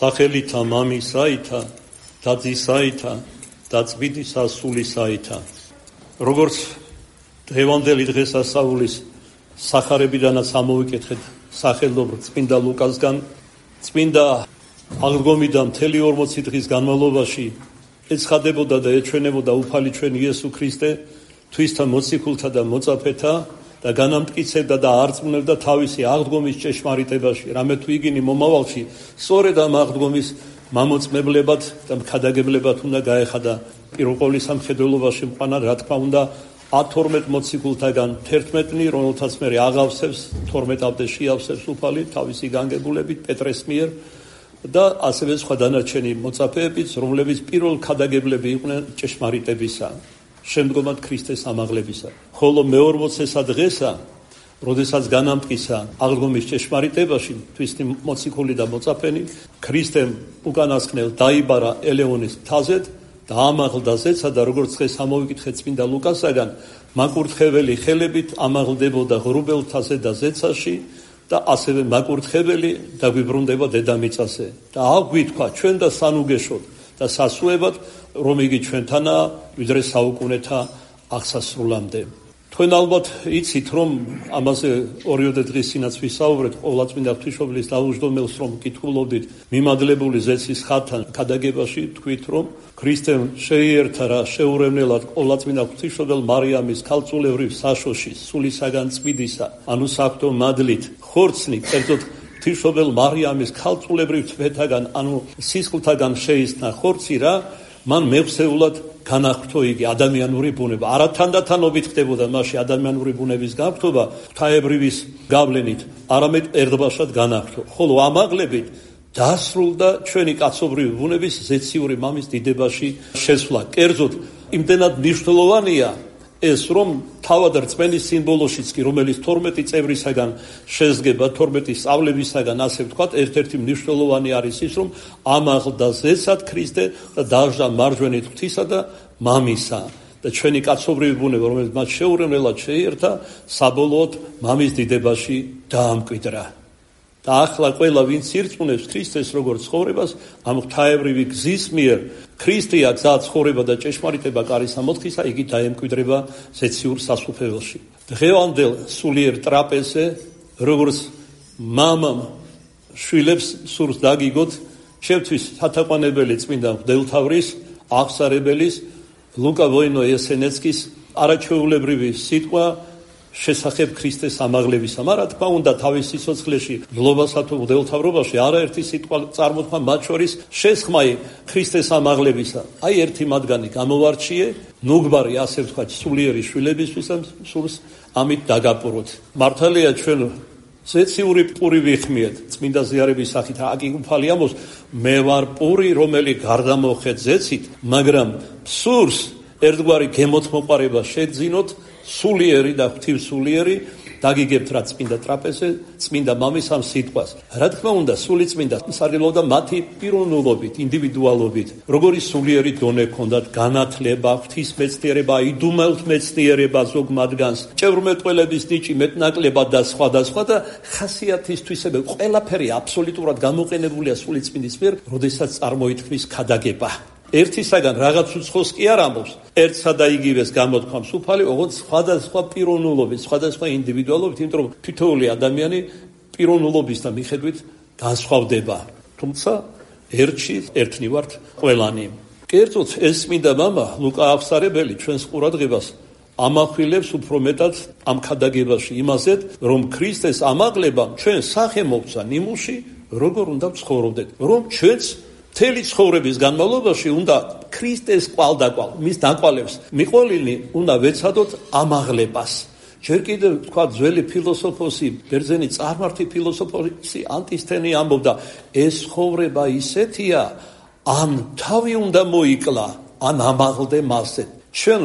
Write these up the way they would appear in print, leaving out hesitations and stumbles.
სახელითა მამისაითა და ძისაითა და წმინდისა სულისაითა. როგორც დღევანდელი დღესასწაულის სახარებიდანაც ამოვიკითხეთ სახელობრივ წმინდა ლუკასგან, წმინდა აღდგომიდან მთელი 40 დღის განმავლობაში ეცხადებოდა და ეჩვენებოდა უფალი ჩვენ იესო ქრისტე თვისთა მოციქულთა და მოწაფეთა და განამტკიცებდა და არწმუნებდა თავისი აღდგომის ჭეშმარიტებაში, რამე თუ იგინი მომავალში სწორედ ამ აღდგომის მამოწმებლებად და მქადაგებლებად უნდა გაეხადა პირველყოლის სამხედველობაში მყანა, რა თქმა უნდა 12 მოციქულთაგან 11-ნი, რომელთაც მე აღავსებს 12-მდე შეავსებს უფალი თავისი განგებულებით პეტრეს მიერ და ასევე სხვა დანარჩენი მოწაფეებიც, რომლებიც პირველ ქადაგებლები იყვნენ ჭეშმარიტებისა, შემდგომად ქრისტეს ამაღლებისა. ხოლო მე-40 დღესა, როდესაც განამტკიცა აღდგომის ჭეშმარიტებაში თვისთი მოციქული და მოწაფენი, ქრისტემ უკანასკნელ დაიბარა ელეონის მთაზე და ამაღლდა ზეცა და როგორც დღეს ამოვიკითხეთ წმინდა ლუკასაგან, მაკურთხეველი ხელებით ამაღლდებოდა ღრუბელთაზე და ზეცაში და ასევე მაკურთხეველი დაგვიბრუნდება დედამიწაზე. და აგვითქვა ჩვენ და სანუგეშოდ და სასუებად, რომ იგი ჩვენთანაა ვიდრე საუკუნეთა აღსასრულამდე. თქვენ ალბათ იცით, რომ ამაზე ორიოდე დღის წინაც ვისაუბრეთ ყოვლადწმინდა ღვთისმშობლის დაუჯდომელს, რომ კითხულობდით მიმადლებული ზეცის ხატთან ქადაგებაში, თქვით, რომ ქრისტემ შეიერთა რა შეურევნელად ყოვლადწმინდა ღვთისმშობელ მარიამის ქალწულევრივ საშოში სულისაგან წმინდისა, ანუ საღვთო მადლით ხორცნი, კერძოდ ღვთისმშობელ მარიამის ქალწულევრივ თვეთაგან, ანუ სისხლთაგან შეისნა ხორცი რა, მან მეხსეულად განახტო იგი ადამიანური ბუნება. არა თანდათანობით ხდებოდა მასში ადამიანური ბუნების გაფრთხობა ღვთაებრივის გავლენით, არამედ ერთბაშად განახტო. ხოლო ამაღლებით დასრულდა ჩვენი კაცობრივი ბუნების ზეციური მამის დიდებაში შესვლა. კერძოდ იმდენად მნიშვნელოვანია ეს, რომ თავად რწმენის სიმბოლოშიც კი, რომელიც 12 წევრისაგან შედგება, 12 სწავლებისაგან, ასე ვთქვათ, ერთ-ერთი მნიშვნელოვანი არის ის, რომ ამაღლდა ზეცად ქრისტე და დაჟდა მარჯვენით ღვთისა და მამისა. და ჩვენი კაცობრივი ბუნება, რომელიც მათ შეურევნელად შეიერთა, საბოლოოდ მამის დიდებაში დაამკვიდრა. და ახლა ყველა ვინც ირწმუნებს ქრისტეს როგორც ცხოვრებას, ამ ღვთაებრივი გზის მიერ ქრისტეა გზა, ცხოვრება და ჭეშმარიტება კარის ამოთხისა, იგი დაემკვიდრება ზეციურ სასუფეველში. დღევანდელ სულიერ ტრაპეზზე, როგორც მამამ შვილებს სურს დაგიგოთ, ჩემთვის სათაყვანებელი წმინდა მღვდელთავრის, აღსარებელის, ლუკა ვოინო-ესენეცკის არაჩვეულებრივი სიტყვა შესახებ ქრისტეს ამაღლებისა. მაგრამ რა თქმა უნდა, თავის სიცოცხლეში, მდლობასა თუ მღვდელთავრობაში არაერთი სიტყვა წარმოთქვა, მათ შორის შესხმაი ქრისტეს ამაღლებისა. აი ერთი მათგანი გამოვარჩიე, ნუგბარი, ასე ვთქვათ, სულიერი შვილებისთვის სურს ამით დაგაპუროთ. მართალია ჩვენ ზეციური პური ვიხმიეთ, წმინდა ზიარების სახით, აკი უფალი ამბობს, მე ვარ პური, რომელი გარდამოხეთ ზეცით, მაგრამ სურს ერთგვარი გემოთმოყარება შეგძინოთ, სულიერი და ღვთივსულიერი, დაგიგებთ რა წმინდა ტრაპეზზე, წმინდა მამის ამ სიტყვას. რა თქმა უნდა, სული წმინდა სარგებლობდა მათი პიროვნულობით, ინდივიდუალობით, როგორი სულიერი დონე ჰქონდათ, განათლება, ღვთისმეცნიერება, იდუმალთ მეცნიერება ზოგ მათგანს, ჭევრმეტყველების ნიჭი, მეტნაკლებად და სხვა და ხასიათისთვისები, ყველაფერი აბსოლუტურად გამოყენებულია სული წმინდის მიერ, როდესაც წარმოითქმის ქადაგება. ერთისაგან რაღაც უცხოს კი არ ამბობს, ერთსა და იგივეს გამოთქვამს უფალი, ოღონდ სხვადასხვა პიროვნულობით, სხვადასხვა ინდივიდუალობით, იმიტომ რომ თითოეული ადამიანი პიროვნულობისთან მიხედვით განსხვავდება. თუმცა ერთში ერთნი ვართ ყველანი. კერძოდ ეს წმინდა მამა ლუკა აღსარებელი ჩვენს ყურადღებას ამახვილებს უფრო მეტად ამ ქადაგებაში იმაზეთ, რომ ქრისტეს ამაღლებამ ჩვენ სახე მოგცა ნიმუში, როგორ უნდა ვცხოვრობდეთ, რომ ჩვენც მთელი ცხოვრების განმავლობაში უნდა ქრისტეს კვალდაკვალ, მის დაკვალებს მიყოლინი უნდა ვეცადოთ ამაღლებას. ჯერ კიდევ თქვა ძველი ფილოსოფოსი, ბერძენი წარმართი ფილოსოფოსი ანტისთენი ამბობდა, ეს ცხოვრება ისეთია, ან თავი უნდა მოიკლა, ან ამაღლდე მასზე. ჩვენ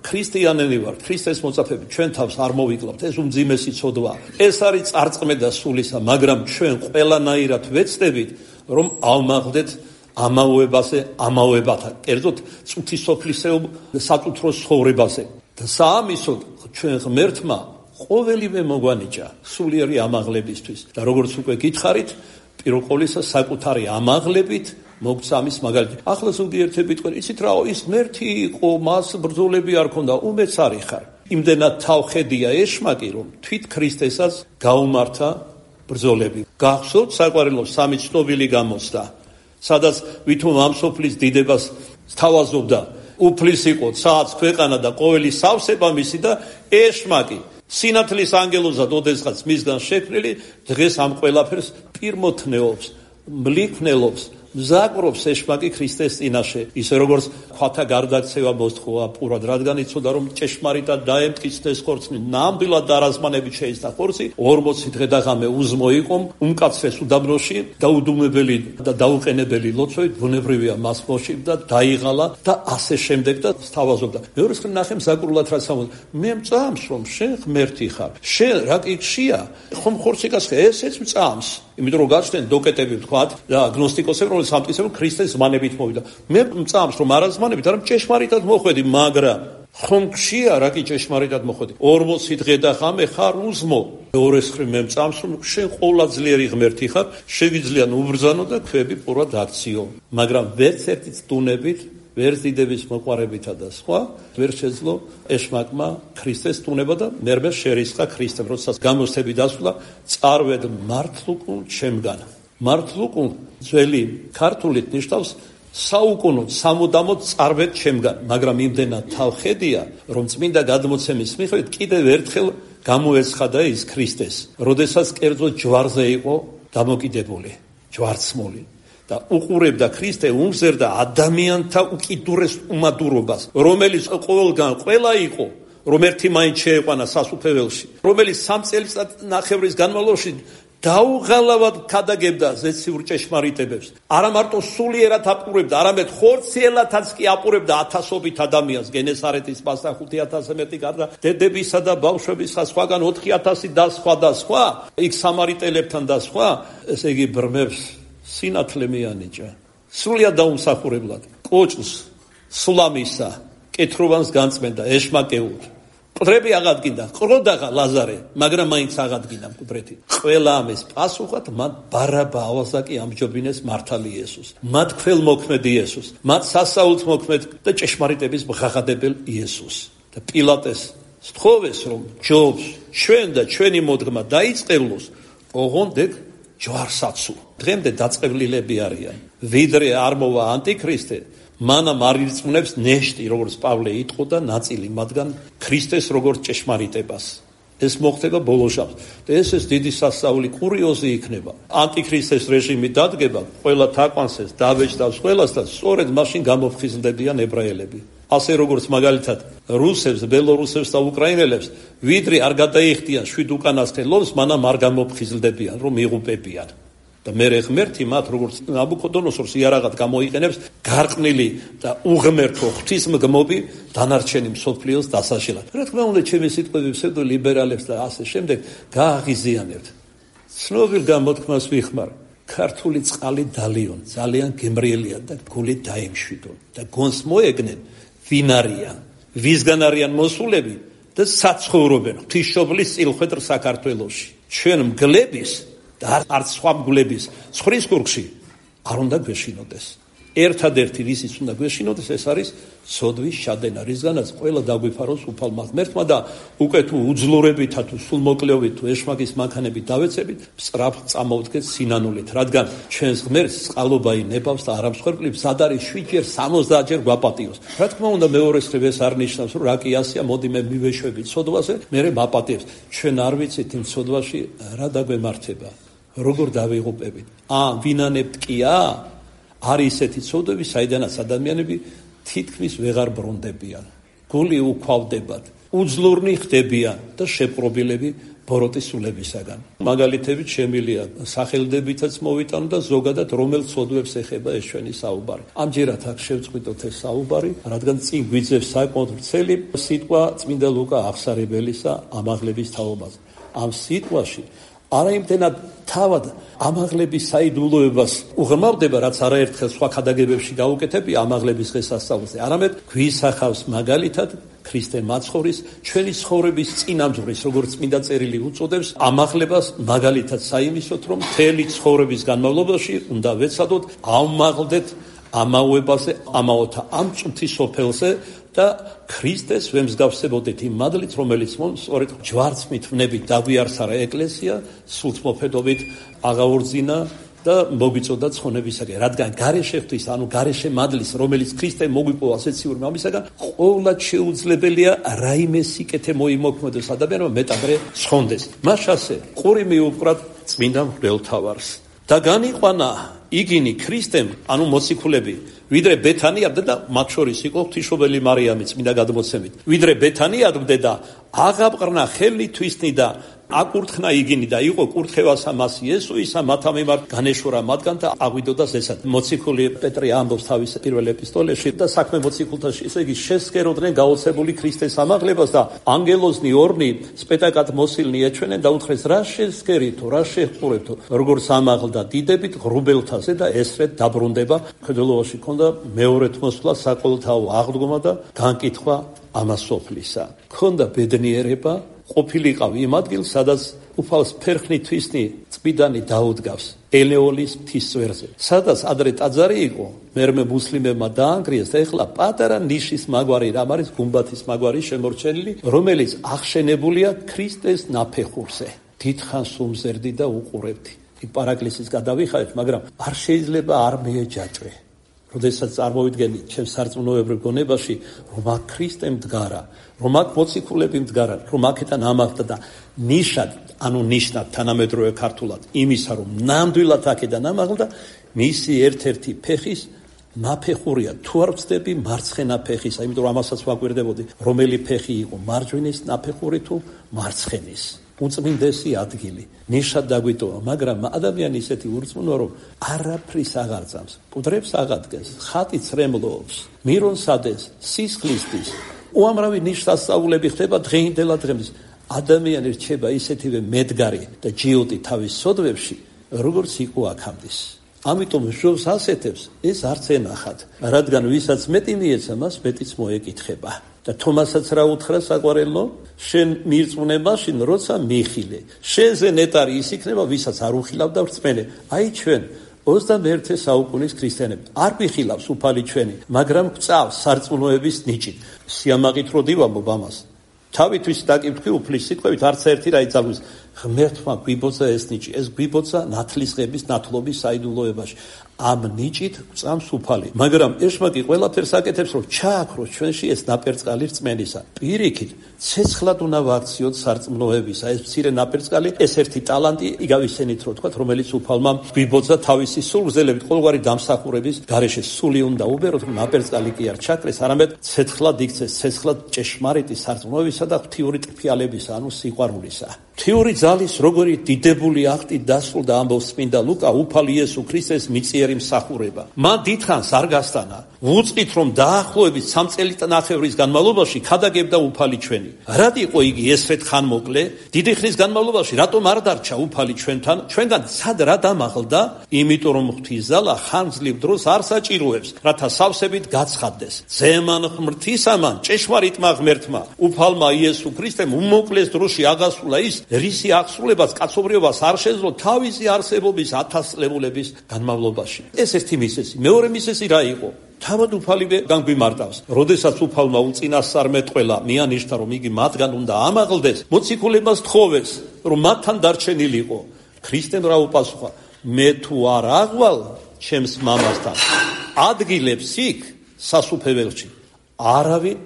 ქრისტიანები ვართ, ქრისტეს მოწაფეები, ჩვენ თავს არ მოვიკლავთ, ეს უმძიმესი ცოდვა. ეს არის წარწმედა სულისა, მაგრამ ჩვენ ყველანაირად ვეცდებით, რომ ავმაღლდეთ ამავებაზე, ამავებათა, კერძოდ წუთი სოფლისეულ საწუთრო ცხოვრებაზე. და საამისოდ ჩვენ ღმერთმა ყოველივე მოგვანიჭა სულიერი ამაღლებისთვის. და როგორც უკვე გითხარით, პირველ ყოვლისა საკუთარი ამაღლებით მოგცა ამის მაგალითი. ახლა ზოგიერთები თქვენ, იცით რა, ის ღმერთი იყო, მას ბრძოლები არ ქონდა, უმეც არის ხარ. იმდენად თავხედია ეშმაკი, რომ თვით ქრისტესაც გაუმართა ბრძოლები. გახსოვთ საყვარელო სამი ცნობილი გამოცდა, სადაც ვითომ ამ სოფლის დიდებას სთავაზობდა, უფლის იყო ცაც ქვეყანა და ყოველი სავსება მისი და ეშმაკი სინათლის ანგელოზად ოდესღაც მისგან შექმნილი დღეს ამ ყველაფერს პირმოთნეობს, მლიქნელობს, მზაკვრობს ეშმაკი ქრისტეს წინაშე, ისე როგორც ქვათა გარდაქცევა მოსთხოვა პურად, რადგან იცოდა რომ ჭეშმარიტად დაემტკიცდეს ხორცი, ნამდვილად დარაზმანებით შეიცდა ხორცი, 40 დღე და ღამე უზმო იყო, უმკაცრეს უდაბნოში, დაუდუმებელი და დაუყენებელი ლოცვით ბუნებრივია მას მოშიბდა, დაიღალა და ასე შემდეგ და სთავაზობდა. მეორე მხრივ ნახე მზაკვრულად რაც ამბობს, მე მწამს რომ შენ ღმერთი ხარ, შენ რა კითხშია, ხომ ხორცი გასხე, ესეც მწამს. იმიტომ რომ გაჩნდნენ დოკეტები ვთქვათ და აგნოსტიკოსები, რომელიც ამტკიცებენ ქრისტეს ზმანებით მოვიდა. მე მწამს რომ არა ზმანებით, არამედ ჭეშმარიტად მოხვედი, მაგრამ ხომ გშია რა კი ჭეშმარიტად მოხვედი. 40 დღე და ღამე ხარ უზმო. მეორე მხრივ მე მწამს რომ შენ ყოვლადწლიერი ღმერთი ხარ, შეგიძლია უბრძანო და ქვები პურად აქციო. მაგრამ ვერც ერთი წუნებით ვერც დიდების მოყვარებითა და სხვა ვერ შეძლო ეშმაკმა ქრისტეს ტუნება და მერმე შერისხა ქრისტემ, როდესაც გამოსთები დასვლა, წარვედ მართლუკუნ ჩემგან. მართლუკუნ ძველი ქართულით ნიშნავს საუკუნოდ, სამუდამოდ წარვედ ჩემგან, მაგრამ იმდენად თავხედია, რომ წმინდა გადმოცემის მიხედვით კიდევ ერთხელ გამოეცხადა ის ქრისტეს, როდესაც კერძო ჯვარზე იყო დამოკიდებული, ჯვარცმული. და უყურებდა ქრისტე უმზერდა ადამიანთა უკიდურეს უმადურობას, რომელიც ყოველგან ყველა იყო, რომ ერთი მაინც შეეყვანა სასუფეველში, რომელიც 3 წელიწადნახევრის განმავლობაში დაუღალავად ქადაგებდა ზეციურ ჭეშმარიტებებს. არა მარტო სულიერად აპყურებდა, არამედ ხორციელათაც კი აპყურებდა ათასობით ადამიანს, გენესარეთის პასა 5000-ზე მეტი გარდა დედებისა და ბავშვების სხვაგან 4000 და სხვა, იქ სამარიტელებთან და სხვა, ესე იგი ბრმებს სინათლე მიანიჭა. სრულიად დაუმსახურებლად, კოჭს, სულამისა, კეთროვანს განწმენდა, ეშმაკეულ. მკვდრები აღადგინდა, ყროდაღა ლაზარე, მაგრამ მაინც აღადგინდა მკვდრეთი. ყველა ამის პასუხად მათ ბარაბა ავაზაკი ამჯობინეს მართალი იესოს. მათ ქველმოქმედ იესოს, მათ სასაულთ მოქმედ და ჭეშმარიტების მღაღადებელ იესოს. და პილატეს სთხოვეს, რომ ჯობს ჩვენ და ჩვენი მოდგმა დაიწყებლოს, ოღონდ ეგ ჯვარსაცუ. დღემდე დაწყევლილები არიან. ვიდრე არ მოვა ანტიქრისტე, მანამ არ ირწმუნებს ნეშტი, როგორც პავლე იტყო და ნაწილი მათგან ქრისტეს როგორც ჭეშმარიტებას. ეს მოხდება ბოლო ჟამს. და ეს დიდი სასწაული კურიოზი იქნება. ანტიქრისტეს რეჟიმი დადგება, ყველა თაყვანსეს დავეჭდავს ყველას და სწორედ მაშინ გამოფხიზლდებიან ებრაელები. ასე როგორც მაგალითად რუსებს, ბელორუსებს და უკრაინელებს ვიდრე არ გადაიხდიან 7 უკანასკნელ ლომს, მანამ არ გამოფხიზლდებიან, რომ იღუპებიან. და მერე ღმერთი მათ როგორც ნაბუქოდონოსორს იარაღად გამოიყენებს გარყვნილი და უღმერთო ღვთისმგმობი დანარჩენი მსოფლიოს დასაშილად. რა თქმა უნდა, ჩემი სიტყვები ფსევდოლიბერალებს და ასე შემდეგ გააღიზიანებთ. ცნობილ გამოთქმას ვიხმარ, ქართული წყალი დალიონ, ძალიან გემრიელია და გული დაემშვიდონ და გონს მოეგნენ ვინ არიან, ვისგან არიან მოსულები და საცხოვრობენ ღვთისმშობლის წილხვედრ საქართველოში. ჩვენ მგლების და არც სხვა მგლების ცხრის კურქში არ უნდა გვეშინოდეს. ერთადერთი რისიც უნდა გვეშინოდეს, ეს არის სოდვის შადენა, რისგანაც ყველა დაგვიფაროს უფალმა ღმერთმა და უკვე თუ უძლურებითა თუ სულმოკლეობით თუ ეშმაკის მანქანებით დავეცებით, სწრაფ წამოვდგეთ სინანულით, რადგან ჩვენს ღმერთს წყალობა ინებავს და არ ამსხვერპლებს, მზად არის 7-ჯერ 70-ჯერ გვაპატიოს. რა თქმა უნდა, მეორე მხრივ ეს არ ნიშნავს, რომ რა კი ასია, მოდი მე მივეშვები ცოდვაზე, მერე მაპატიებს. ჩვენ არ ვიცით იმ ცოდვაში რა დაგვემართება, როგორ დავიღუპებით. ვინანებთ კია? არის ესეთი ცოდვები, საიდანაც ადამიანები თითქმის ვეღარ ბრუნდებიან. გული უქვავდებათ, უძლურნი ხდებიან და შეპყრობილები ბოროტის სულებისაგან. მაგალითებით შემილია სახელდებითაც მოვიტანო და ზოგადად რომელ ცოდვებს ეხება ეს ჩვენი საუბარი. ამჯერად აქ შევწყვიტოთ ეს საუბარი, რადგან წინ გვიძევს საკმაოდ ვრცელი სიტყვა წმინდა ლუკა აღსარებელისა ამაღლების თაობაზე. ამ სიტყვაში არა იმდენად თავად ამაღლების საიდუმლოებას უღრმავდება, რაც არაერთხელ სხვა ქადაგებებში გაუკეთებია ამაღლების დღესასწაულზე, არამედ გვისახავს მაგალითად ქრისტე მაცხოვრის ჩვენი ცხოვრების წინამძღვრის, როგორც წმინდა წერილი უწოდებს, ამაღლებას მაგალითად საიმისოთ, რომ მთელი ცხოვრების განმავლობაში უნდა ვეცადოთ ავმაღლდეთ ამაოებაზე, ამაოთა ამ წუთის სოფელზე და ქრისტეს ვემსგავსებოდეთ იმ მადლით, რომელიც სწორედ ჯვარცმით ვნებით დაგვიარსარა ეკლესია, სულთმოფედობით აღაურძინა და მოგვიწოდა ცხონებისაგან, რადგან გარეშე ღვთის, ანუ გარეშე მადლის, რომელიც ქრისტემ მოგვიპოვა ასეციური მამისაგან, ყოვლად შეუძლებელია რაიმე სიკეთე მოიმოქმედოს ადამიანმა მეტადრე ცხონდეს. მას ასე ყური მიუყვრათ წმინდა მღვდელთავარს და განიყვანა იგინი ქრისტემ, ანუ მოციქულები, ვიდრე ბეთანიადმდე და მათ შორის იყო ღვთისმშობელი მარიამი წმინდა გადმოცემით. ვიდრე ბეთანიადმდე და აღაპყრნა ხელნი თვისნი და აკურთხნა იგინი და იყო კურთხევასა მას იესოისა მათა მიმართ განეშორა მათგან და აღვიდოდა ზესად. მოციქული პეტრე ამბობს თავის პირველ ეპისტოლეში და საქმე მოციქულთაში, ესე იგი შესკეროდნენ გაოცებული ქრისტეს ამაღლებას და ანგელოზნი ორნი სპეტაკად მოსილნი ეჩვენენ და უთხრეს რა შესკერითო, რა შეჰყურებთო, როგორც ამაღლდა დიდებით ღრუბელთაზე და ესრეთ დაბრუნდება. მხედველობაში ქონდა მეორედ მოსვლა საყოველთაო აღდგომა და განკითხვა ამასოფლისა. ქონდა ბედნიერება ყოფილიყავი იმ ადგილს, სადაც უფალს ფერხნი თვისნი წმიდანი დაუდგავს ელეოლის მთისწვერზე, სადაც ადრე ტაძარი იყო, მერმე მუსლიმებმა დაანგრიეს და ეხლა პატარა ნიშის მაგვარი, რამ არის გუმბათის მაგვარი შემორჩენილი, რომელიც აღშენებულია ქრისტეს ნაფეხურზე. დიდხანს უმზერდი და უყურებდი. იქ პარაკლისის გადავიხარეთ, მაგრამ არ შეიძლება არ მეეჯაჭვე. როდესაც წარმოვიდგენი ჩემს სარწმუნოებრივ გონებაში, რომ აქ ქრისტე მდგარა, რომ აქ მოციქულები მდგარა, რომ აქეთან ამაღლდა და ნიშად, ანუ ნიშნად თანამედროვე ქართულად იმისა, რომ ნამდვილად აქედან ამაღლდა, მისი ერთ-ერთი ფეხის ნაფეხურია. თუ არ ვცდები მარცხენა ფეხისა, იმიტომ რომ ამასაც ვაკვირდებოდი, რომელი ფეხი იყო, მარჯვენის ნაფეხური თუ მარცხენის. უწმინდესი ადგილი, ნიშად დაგვიტოვა, მაგრამ ადამიანი ისეთი ურწმუნოა, რომ არაფრის აღარ წამს, კუდრებს აღადგენს, ხატი ცრემლობს, მირონს ადენს, სისხლისთვის. უამრავი ნიშსასწაულები ხდება დღეინდელად დღემდე. ადამიანი რჩება ისეთივე მედგარი და ჯიოტი თავის სოდვებში, როგორც იყო აქამდის. ამიტომ შობს ასეთებს ეს არც ენახათ, რადგან ვისაც მეტი მიეცა, მას მეტიც მოეკითხება. და თომასაც რა უთხრა საყვარელო, შენ მირწმუნე მაშინ, როცა მიხილე. შენზე ნეტარი ის იქნება, ვისაც არ უხილავ და ვრწმენე. აი ჩვენ 21 საუკუნის ქრისტიანები არ გვიხილავს უფალი ჩვენი, მაგრამ გვწავს სარწმუნოების ნიჭით. სიამაყით რო დივამბობ ამას. თავისთვის დაკითხვი უფლის სიტყვებით არც ერთი რა იცავს. ღმერთმა გვიბოძა ეს ნიჭი, ეს გვიბოძა ნათლისღების, ნათლობის საიდუმლოებაში. ამ ნიჭით გვწამს უფალი. მაგრამ ეშმაკი ყველაფერს აკეთებს, რომ ჩააქროს ჩვენში ეს ნაპერწკალი რწმენისა. პირიქით, ცეცხლად უნდა ვაქციოთ სარწმუნოებისა. ეს მცირე ნაპერწკალი, ეს ერთი ტალანტი, იგავისენით რო თქვა, რომელიც უფალმა გვიბოძა თავისი სულგრძელებით, ყოველგვარი დამსახურების გარეშე სული უნდა უბეროთ, რომ ნაპერწკალი კი არ ჩაქრეს, არამედ ცეცხლად იქცეს, ცეცხლად ჭეშმარიტი სარწმუნოებისა და ღვთიური ტკბიალებისა, ანუ სიყვარულისა. ღვთიური ძალის როგორი დიდებული აქტი დასრულდა, ამბობს წმინდა ლუკა, უფალი იესო ქრისტეს მიწიერი მსახურება. მან დიდხანს არ გასტანა. ვუწყით, რომ დაახლოებით 3 წელიწადის განმავლობაში ქადაგებდა უფალი ჩვენი. რად იყო იგი ესრეთ ხანმოკლე? დიდი ხნის განმავლობაში რატომ არ დარჩა უფალი ჩვენთან? ჩვენგან სად რა დამაღლდა? იმიტომ რომ ღვთის ძალა ხანძლივ დროს არ საჭიროებს, რათა სავსებით გაცხადდეს. ზემან ღმრთისამან ჭეშმარიტმა ღმერთმა, უფალმა იესო ქრისტემ უმოკლეს დროში აღასრულა ის, რისი აღსრულებას კაცობრიობას არ შეძლო თავისი არსებობის 1000 წლებულების განმავლობაში. ეს ერთი მისესი. მეორე მისესი რა იყო? თავად უფალივე განგვიმარტავს. როდესაც უფალმა უწინასწარ მეტყველა, მიანიშთა, რომ იგი მათგან უნდა ამაღლდეს, მოციქულებმაც თხოვეს, რომ მათთან დარჩენილიყო. ქრისტემ რა უპასუხა? მე თუ არ აღვალ ჩემს მამასთან, ადგილებს იქ სასუფეველში არავინ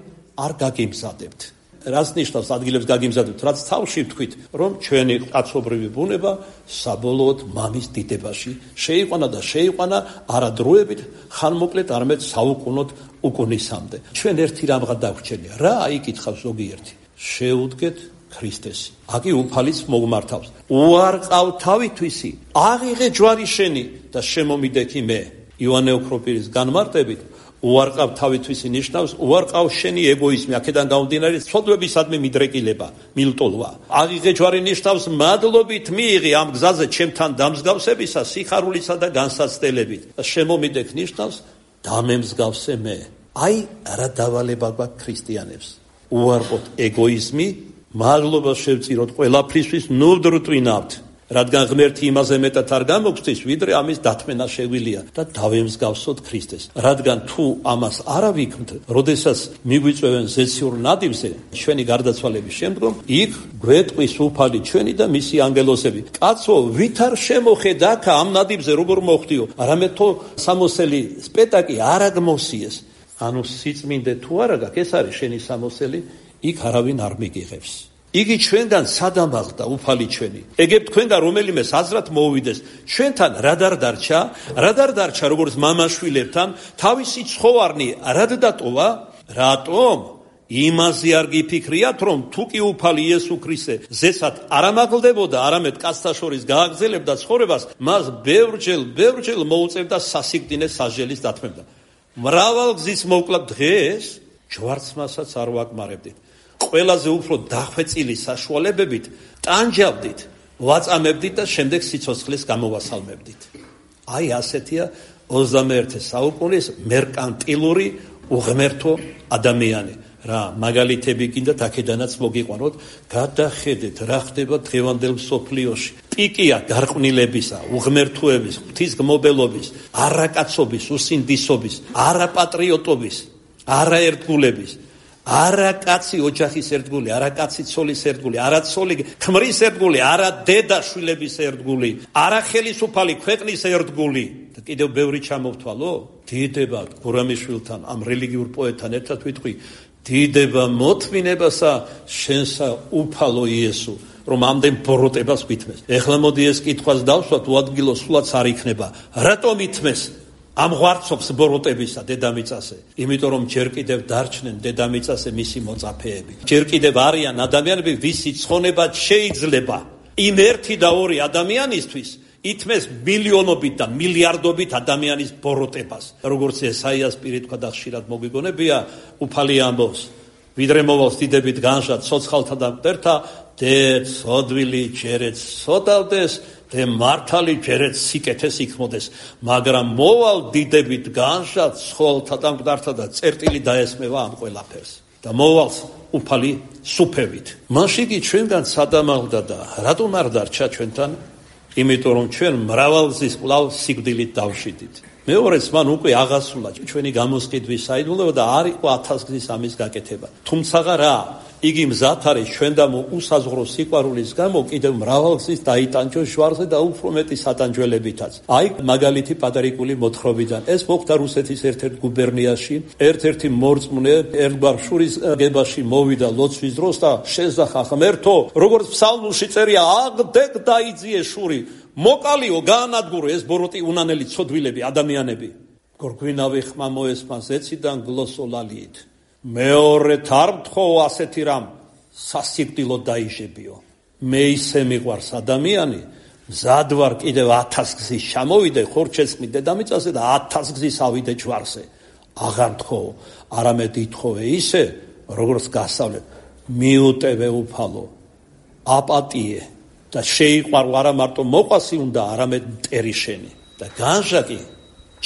არ გაგიმზადებთ. რას ნიშნავს ადგილებს გაგიმზადებთ? რაც თავში ვთქვით, რომ ჩვენი კაცობრივი ბუნება საბოლოოდ მამის დიდებაში შეიყვანა და შეიყვანა არა დროებით, ხანმოკლედ, არამედ საუკუნოდ უკუნისამდე. ჩვენ ერთი რამღა დაგვჩენია. რა აიკითხავს ზოგიერთი? შეუდგეთ ქრისტესი. აკი უფალიც მოგმართავს. უარყავ თავითვისი, აღიღე ჯვარი შენი და შემომიდექი მე. იოანე ოქროპირის განმარტებით, უარყავ თავითვისი ნიშნავს უარყავ შენი ეგოიზმი, აქედან გამომდინარე ცოდვებისადმი მიდრეკილება, მილტოლვა. აღიღე ჯვარი ნიშნავს მადლობით მიიღე ამ გზაზე ჩემთან დამსგავსებისა სიხარულისა და განსაცდელებით. შემომიდექ ნიშნავს დამემსგავსე მე. აი რა დავალება გვაქვს ქრისტიანებს. უარყოთ ეგოიზმი, მადლობას შევწიროთ ყველაფრისთვის, ნუვდრტვინავთ. რადგან ღმერთი იმაზე მეტად არ გამოგცდის, ვიდრე ამის დათმენა შეგვიძლია და დავემსგავსოთ ქრისტეს. რადგან თუ ამას არ ავიქმთ, როდესაც მიგვიწევენ ზეციურ ნადიმზე, ჩვენი გარდაცვალების შემდგომ, იქ გვეტყვის უფალი ჩვენი და მისი ანგელოსები. კაცო, ვით არ შემოხედა აქ ამ ნადიმზე როგორ მოხდიო, არამედ თუ სამოსელი სპეტაკი არ აგმოსიეს. ანუ სიწმინდე თუ არა გაქვს, ეს არის შენი სამოსელი, იქ არავინ არ მიგიღებს. იგი ჩვენგან სადამაღლდა უფალი ჩვენი. ეგებ თქვენგან რომელიმე საზრად მოუვიდეს. ჩვენთან რა დარჩა როგორც მამაშვილებთან, თავისი ცხოვარნი რად დატოვა? რატომ? იმაზე არ გიფიქრიათ, რომ თუ კი უფალი იესო ქრისტე ზესად არ ამაღლდებოდა, არამედ კაცთა შორის გააგრძელებდა ცხოვრებას, მას ბევრჯერ მოუწევდა სასიკვდინე სასჯელის დათმევდა. მრავალ გზის მოკლა დღეს ჯვარცმასაც არ ვაკმარებდით. ყველაზე უფრო დახვეწილი საშუალებებით ტანჯავდით, ვაწამებდით და შემდეგ სიცოცხლეს გამოვასალმებდით. აი ასეთია 21 საუკუნის მერკანტილური უღმერთო ადამიანი. რა მაგალითები კიდათ აქედანაც მოგიყვანოთ, გადახედეთ რა ხდება დღევანდელ მსოფლიოში. პიკია გარყვნილებისა, უღმერთოების, ღვთისგმობელობის, არაკაცობის, უსინდისობის, არაპატრიოტობის, არაერთგულების, არა კაცი ოჯახის ერთგული, არა კაცი ცოლის ერთგული, არა ცოლი ქმრის ერთგული, არა დედა შვილების ერთგული, არა ხელისუფალი ქვეყნის ერთგული. და კიდევ ბევრი ჩამოვთვალო? დიდება გურამიშვილთან, ამ რელიგიურ პოეტთან ერთად ვიტყვი, დიდება მოთმინებასა შენსა უფალო იესო, რომ ამდენ ბოროტებას ვითმეს. ეხლა მოდი ეს კითხვას დავსვათ, უადგილო სულაც არ იქნება. რატომ ითმეს? ამ ღვარცობს ბოროტებისა დედამიწაზე, იმიტომ რომ ჯერ კიდევ დარჩნენ დედამიწაზე მისი მოწაფეები. ჯერ კიდევ არიან ადამიანები, ვისი ცხონება შეიძლება იმ ერთი და ორი ადამიანისთვის ითმეს მილიონობით და მილიარდობით ადამიანის ბოროტებას. როგორც ესაიას პირი თქვა და ხშირად მოგვიგონებია, უფალი ამბობს, ვიდრე მოვალს დიდებით განშა ცოცხალთა და მტერთა, დე ცოდვილი ჯერეთ სოდავდეს, და მართალი ჯერეთ სიკეთეს იქმოდეს, მაგრამ მოვალ დიდებით განშა ცხოველთა და მკვდართა და წერტილი დაესმევა ამ ყველაფერს და მოვალს უფალი სუფევით. მაშინ კი ჩვენგან სადამაღლდა და რატომ არ დარჩა ჩვენთან? იმიტომ რომ ჩვენ მრავალგზის კვლავ სიკვდილით დავშვიდით. მეორეც მან უკვე აღასრულა ჩვენი გამოსყიდვის საიდუმლოება და არ იყო 1000 გზის ამის გაკეთება. თუმცა რა, იგი მზად არის ჩვენ და უსაზღვრო სიყვარულის გამო კიდევ მრავალგზის დაიტანჯოს ჟვარზე და უფრო მეტი სატანჯველებითაც. აი მაგალითი პატარიკული მოთხრობიდან. ეს მოხდა რუსეთის ერთ-ერთ გუბერნიაში, ერთ-ერთი მორწმუნე ერთგვარ შურის გებაში მოვიდა ლოცვის დროს და შეძახა ღმერთო, როგორც ფსალმურში წერია, აღდეკ დაიძიე შური, მოკალიო გაანადგურო ეს ბოროტი უნანელი ცოდვილები ადამიანები. გორგვინავი ხმა მოესმა ზეციდან გლოსოლალიით. მეორე თარ მთხოვ ასეთი რამ სასიკვდილო დაიჟებიო. მე ისე მიყვარს ადამიანი, მზად ვარ კიდევ 1000 გზის ჩამოვიდე ხორჩესხმი დედამიწაზე და 1000 გზის ავიდე ჯვარზე. აღარ მთხოვ, არამედ ითხოვე ისე, როგორც გასავლებ, მიუტევე უფალო, აპატიე და შეიყვარო არა მარტო მოყვასი უნდა, არამედ მტერი შენი და განჟაკი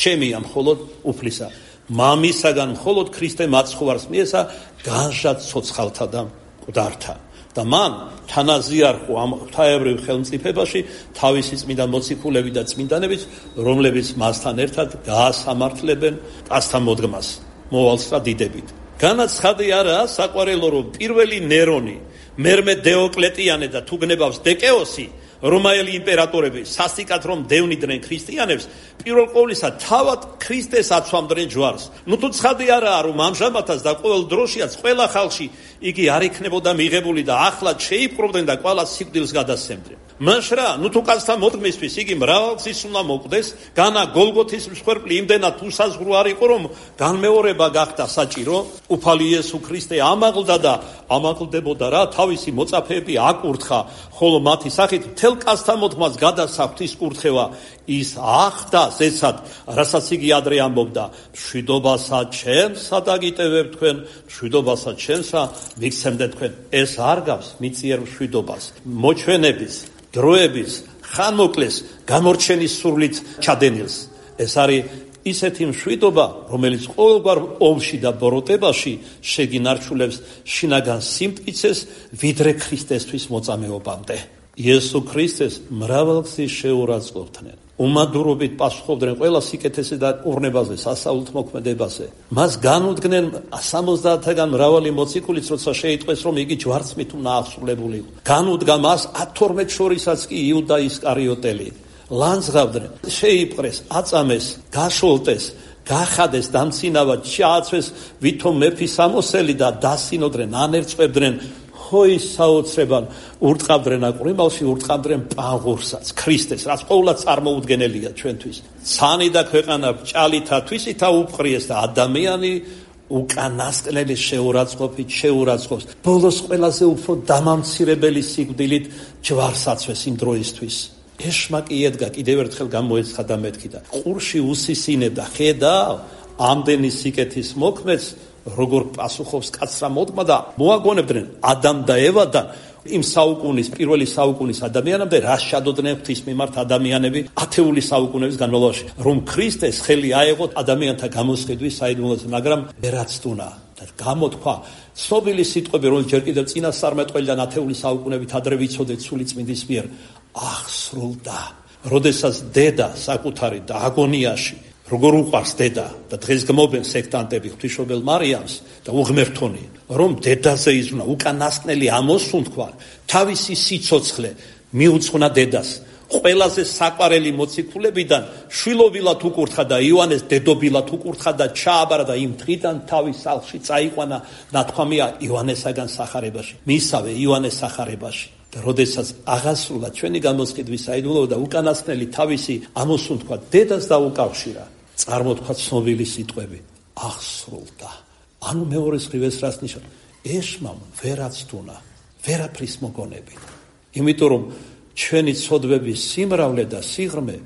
ჩემია მხოლოდ უფლისა. მამისაგან მხოლოდ ქრისტე მაცხოვარს მიესა განჟად ცოცხალთა და მკვდართა და მან თანაზიარხო ამ ღვთაებრივ ხელმწიფებაში თავისი წმინდა მოციქულები და წმინდანებიც, რომლებიც მასთან ერთად გაასამართლებენ კაცთა მოდგმას მოვალს და დიდებით. განაცხადი არა საყვარელო, რომ პირველი ნერონი, მერმე დეოკლეტიანე და თუ გნებავს დეკეოსი, რომაელი იმპერატორები სასტიკად რომ დევნიდნენ ქრისტიანებს, პირველ ყოვლისა თავად ქრისტეს აცვამდნენ ჯვარს. ნუ თუ ცხადი არაა, რომ ამჟამადაც და ყოველ დროშიაც ყველა ხალხში იგი არ იქნებოდა მიღებული და ახლად შეიპყრობდნენ და ყველა სიკვდილს გადასცემდნენ. მაშრა, ნუ თუ კაცთა მოდგმისთვის იგი მრავალგზის უნდა მოკვდეს, განა გოლგოთის მსხვერპლი იმდენად უსაზღვრო არ იყო, რომ განმეორება გახდა საჭირო, უფალი იესო ქრისტე ამაღლდა და ამაღლდებოდა რა, თავისი მოწაფეები აკურთხა, ხოლო მათი სახით მთელ კაცთა მოთმას გადასახვთ ის კურთხევა ის ახდა ზეცად რასაც იგი ადრე ამბობდა მშვიდობასა ჩემსა დაგიტევებ თქვენ მშვიდობასა ჩემსა მიგცემდეთ თქვენ ეს არ გავს მიწიერ მშვიდობას მოჩვენების დროების ხანმოკლეს გამორჩენის სურვილით ჩადენილს ეს არის ისეთი მშვიდობა რომელიც ყოველგვარ ომში და ბოროტებაში შეგინარჩულებს შინაგან სიმტკიცეს ვიდრე ქრისტესთვის მოწამეობამდე იესო ქრისტეს მრავალგზის შეურაცხყოფდნენ უმადურობით პასუხობდნენ ყველა სიკეთესე და ურნებაზე სასაულთ მოქმედებაზე მას განუდგნენ 70-დან მრავალი მოციქულიც როცა შეიტყვეს რომ იგი ჯვარცმით უნდა აღსრულებული განუდგა მას 12 შორისაც კი იუდა ისკარიოტელი ლანძღავდნენ შეიპყრეს აწამეს გაშოლტეს გახადეს დამცინავად ჩააცვეს ვითომ მეფის ამოსელი და დასინოდნენ ანერწყვებდნენ ხოის საოცრებან ურტყავდნენ აყრიმალში ურტყავდნენ პაღურსაც ქრისტეს რაც ყოველად წარმოუდგენელია ჩვენთვის ცანი და ქვეყანა ჭალითა თვისითა უფყრიეს და ადამიანი უკანასკნელი შეურაცხყოფს ბოლოს ყველაზე უფრო დამამცირებელი სიკვდილით ჯვარსაცვეს იმ დროისთვის ეშმაკი ედგა კიდევ ერთხელ გამოეცხადა მეთქი და ყურში უსისინებდა ხედავ ამდენი სიკეთის მოქმედს როგორ პასუხობს კაცრა მოდგმა და მოაგონებდნენ ადამ და ევადან იმ საუკუნის პირველი საუკუნის ადამიანამდე რა შადოდნენ ღვთის მიმართ ადამიანები ათეული საუკუნეების განმავლობაში რომ ქრისტეს ხელი აეღოთ ადამიანთა გამოსყიდვის საიდუმლოზე მაგრამ ვერაცდუნა და გამოთქვა ცნობილი სიტყვები რომ ჯერ კიდევ წინასწარმეტყველიდან ათეული საუკუნებით ადრე ვიცოდეთ სული წმინდის მიერ აღსრულდა როდესაც დედა საკუთარი და აგონიაში როგორ უყვარს დედა და დღეს გმობენ სექტანტები ღვთისმშობელ მარიამს და უღმერთონი რომ დედაზე იზრუნა უკანასკნელი ამოსუნთქვა თავისი სიცოცხლე მიუძღვნა დედას ყველაზე საყვარელი მოციქულებიდან შვილობილად უკურთხა და იოანეს დედობილად უკურთხა და ჩააბარა და იმ დღიდან თავის სახლში წაიყვანა ნათქვამია იოანესაგან სახარებაში მისავე იოანეს სახარებაში და როდესაც აღასრულა ჩვენი გამოსყიდვის საიდუმლო და უკანასკნელი თავისი ამოსუნთქვა დედას დაუკავშირა წარმოთქვა ცნობილი სიტყვები აღსრულდა ანუ მეორე სხივეს რას ნიშნავს ეშმამ ვერაცდუნა ვერაფრის მოგონებით იმიტომ რომ ჩვენი ცოდვების სიმრავლე და სიღრმე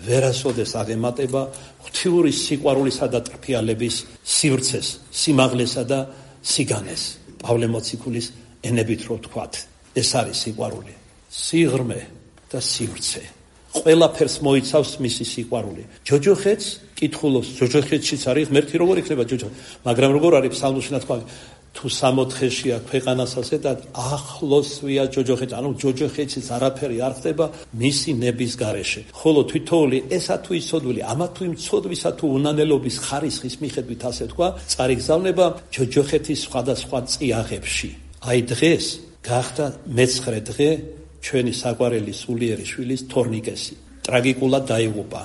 ვერასოდეს აღემატება ღვთიური სიყვარულისა და ტრფიალების სივრცეს სიმაღლესა და სიგანეს პავლე მოციქულის ენებით რო ვთქვათ ეს არის სიყვარული სიღრმე და სივრცე ყველაფერს მოიცავს მისი სიყვარული ჯოჯოხეთს კითხულობს ჯოჯოხეთშიც არის ღმერთი როგორ იქნება ჯოჯოხეთი მაგრამ როგორ არის ფსალმურში ნათქვამი თუ 60-შეა ქვეყანასასე და ახლოსვია ჯოჯოხეთი ანუ ჯოჯოხეთშიც არაფერი არ ხდება მისი ნების გარეშე ხოლო თვითოული ესა თუ იცოდვილი ამა თუ იმ ცოდვისა თუ უნანელობის ხარისხის მიხედვით ასე თქვა წარიგზავნება ჯოჯოხეთის სხვადასხვა წიაღებში აი დღეს გახდა მე-9 დღე ჩვენი საყვარელი სულიერი შვილის თორნიკესი ტრაგიკულად დაიღუპა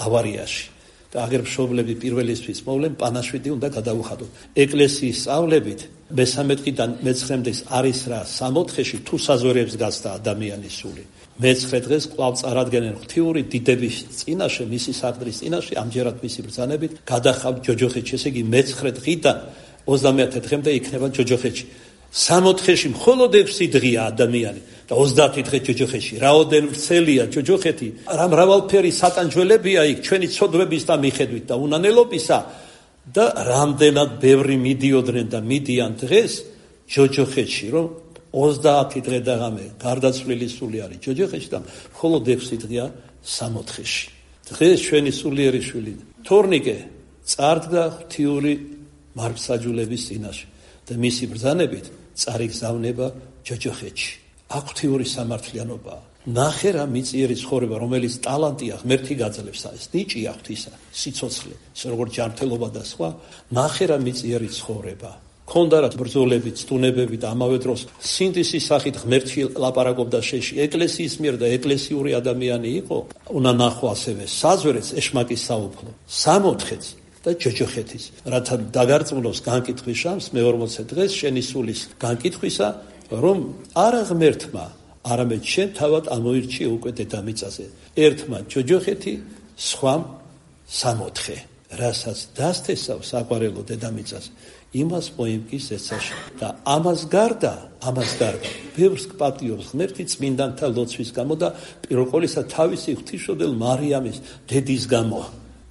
ავარიაში და აღერმშობლები პირველისთვის მოვლენ პანაშვიდი უნდა გადაუხადოთ ეკლესიის სწავლებით მე-13 დღიდან მე-9 დღეს არის რა 64-ში თუ საზვერებს გასდა ადამიანის სული მე-9 დღეს კვლავ წარადგენენ ღვთიური დიდების წინაშე მისი საყდრის წინაშე ამჯერად მისი ბრძანებით გადახავთ ჯოჯოხეთში ესე იგი მე-9 დღიდან 30 დღემდე იქნება ჯოჯოხეთში 60-ში მხოლოდ 6 დღეა ადამიანი და 30 დღე ჯოჯოხეთში რაოდენ ვრცელია ჯოჯოხეთი რა მრავალფერი სატანჯველებია იქ ჩვენი ცოდვების და მიხედვით და უნანელობისა და რამდენად ბევრი მიდიოდნენ და მიდიან დღეს ჯოჯოხეთში რომ 30 დღე და ღამე გარდაცვლილი სული არის ჯოჯოხეთში და მხოლოდ 6 დღეა 60-ში დღეს ჩვენი სულიერი შვილი თორნიკე წარდგა ღვთიური მარცხაჯულების წინაშე და მისი ბრძანებით წარიგზავნება ჯოჯოხეთში აქ ღვთიური სამართლიანობა ნახე რა მიწიერი ცხოვრება რომელიც ტალანტია ღმერთი გაძლევს ეს ნიჭია ღვთისა სიცოცხლე ისე როგორც ჯანმრთელობა და სხვა ნახე რა მიწიერი ცხოვრება ქონდა რა ბრძოლები ცდუნებები და ამავე დროს სინდისის სახით ღმერთი ლაპარაკობდა შეში ეკლესიის მიერ და ეკლესიური ადამიანი იყო უნდა ნახო ასევე საზვერეთს ეშმაკის საუფლო 60-ს და ჯოჯოხეთის რათა დაგარწმუნოს განკითხვის შანსს მე-40 დღეს შენი სულის განკითხვისა რომ არა ღმერთმა არამედ შენ თავად ამოირჩიე უკვე დედამიწაზე ერთმა ჯოჯოხეთი სხვამ 60 რასაც დასთესავს საყვარელო დედამიწას, იმას მოიმკის ეცაში და ამას გარდა ბევრს პატიობს ღმერთი წმინდანთა ლოცვის გამო და პირველ ყოვლისა თავისი ღვთისმშობელ მარიამის დედის გამო.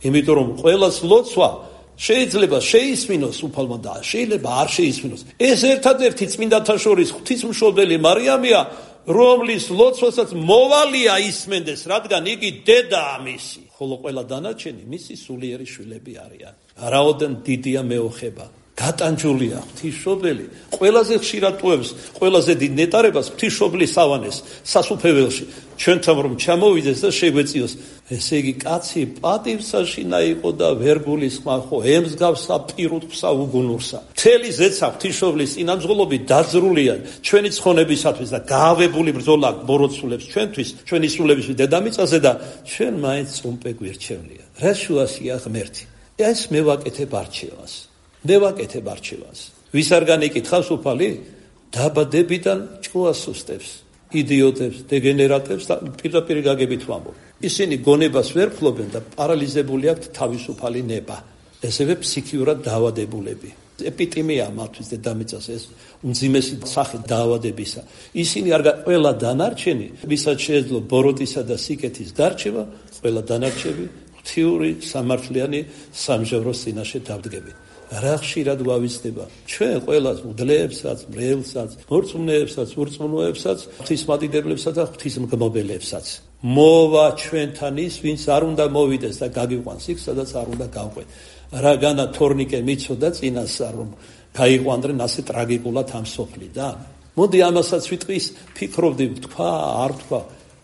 იმიტომ რომ ყველას ლოცვა შეიძლება შეისმინოს უფალმა და შეიძლება არ შეისმინოს. ეს ერთადერთი წმინდანთა შორის ღვთისმშობელი მარიამია, რომლის ლოცვასაც მოვალია ისმენდეს, რადგან იგი დედაა მისი, ხოლო ყველა დანარჩენი მისი სულიერი შვილები არიან. რაოდენ დიდია მეოხება, გატანჯულია ღვთისმშობელი, ყველაზე ხშირად ტუებს, ყველაზე დიდ ნეტარებას ღვთისმშობლის ავანეს სასუფეველში, ჩვენთან რომ ჩამოვიდეს და შეგვეციოს. ესე იგი კაცი პატივსაშინა იყო და ვერ გულისხმა ხო ემსგავსა პირუტყვსა უგუნურსა. მთელი ზეცა ღვთისმშობლის წინამძღოლობით დაძრულია ჩვენი ცხონებისათვის და გაავებული ბრძოლა ბოროტსულებს ჩვენთვის, ჩვენი სულებისთვის დედამიწაზე და ჩვენ მაინც წუმპე გვირჩევნია. რა შუასია ღმერთი? ეს მე ვაკეთებ არჩევანს. ვის არ განეკითხავს უფალი? დაბადებიდან ჭკუას უსტებს, იდიოტებს, დეგენერატებს და პირდაპირ გაგებით ვამბობ. ისინი გონებას ვერ ფლობენ და პარალიზებული აქვთ თავისუფალი ნება. ესევე ფსიქიურად დაავადებულები. ეპიდემია მათთვის დედამიწას ეს უმძიმესი სახე დაავადებისა. ისინი არ ყველა დანარჩენი, ვისაც შეეძლო ბოროტისა და სიკეთის გარჩევა, ყველა დანარჩები ღვთიური სამართლიანი სამჟევროს წინაშე დავდგებით. რა ხშირად გვავიცდება ჩვენ ყველას მუდლებსაც, მრევლსაც, მორწმუნეებსაც, ურწმუნოებსაც, ღვთისმადიდებლებსაც და ღვთისმგნობელებსაც. მოვა ჩვენთან ის, ვინც არ უნდა მოვიდეს და გაგიყვანს იქ, სადაც არ უნდა გავყვეთ. რაგანა თორნიკე მიცოდა წინასწარ, რომ გაიყვანდრენ ასე ტრაგიკულად ამ სოფლიდან. მოდი ამასაც ვიტყვის, ფიქრობდი, თქვა, არ თქვა,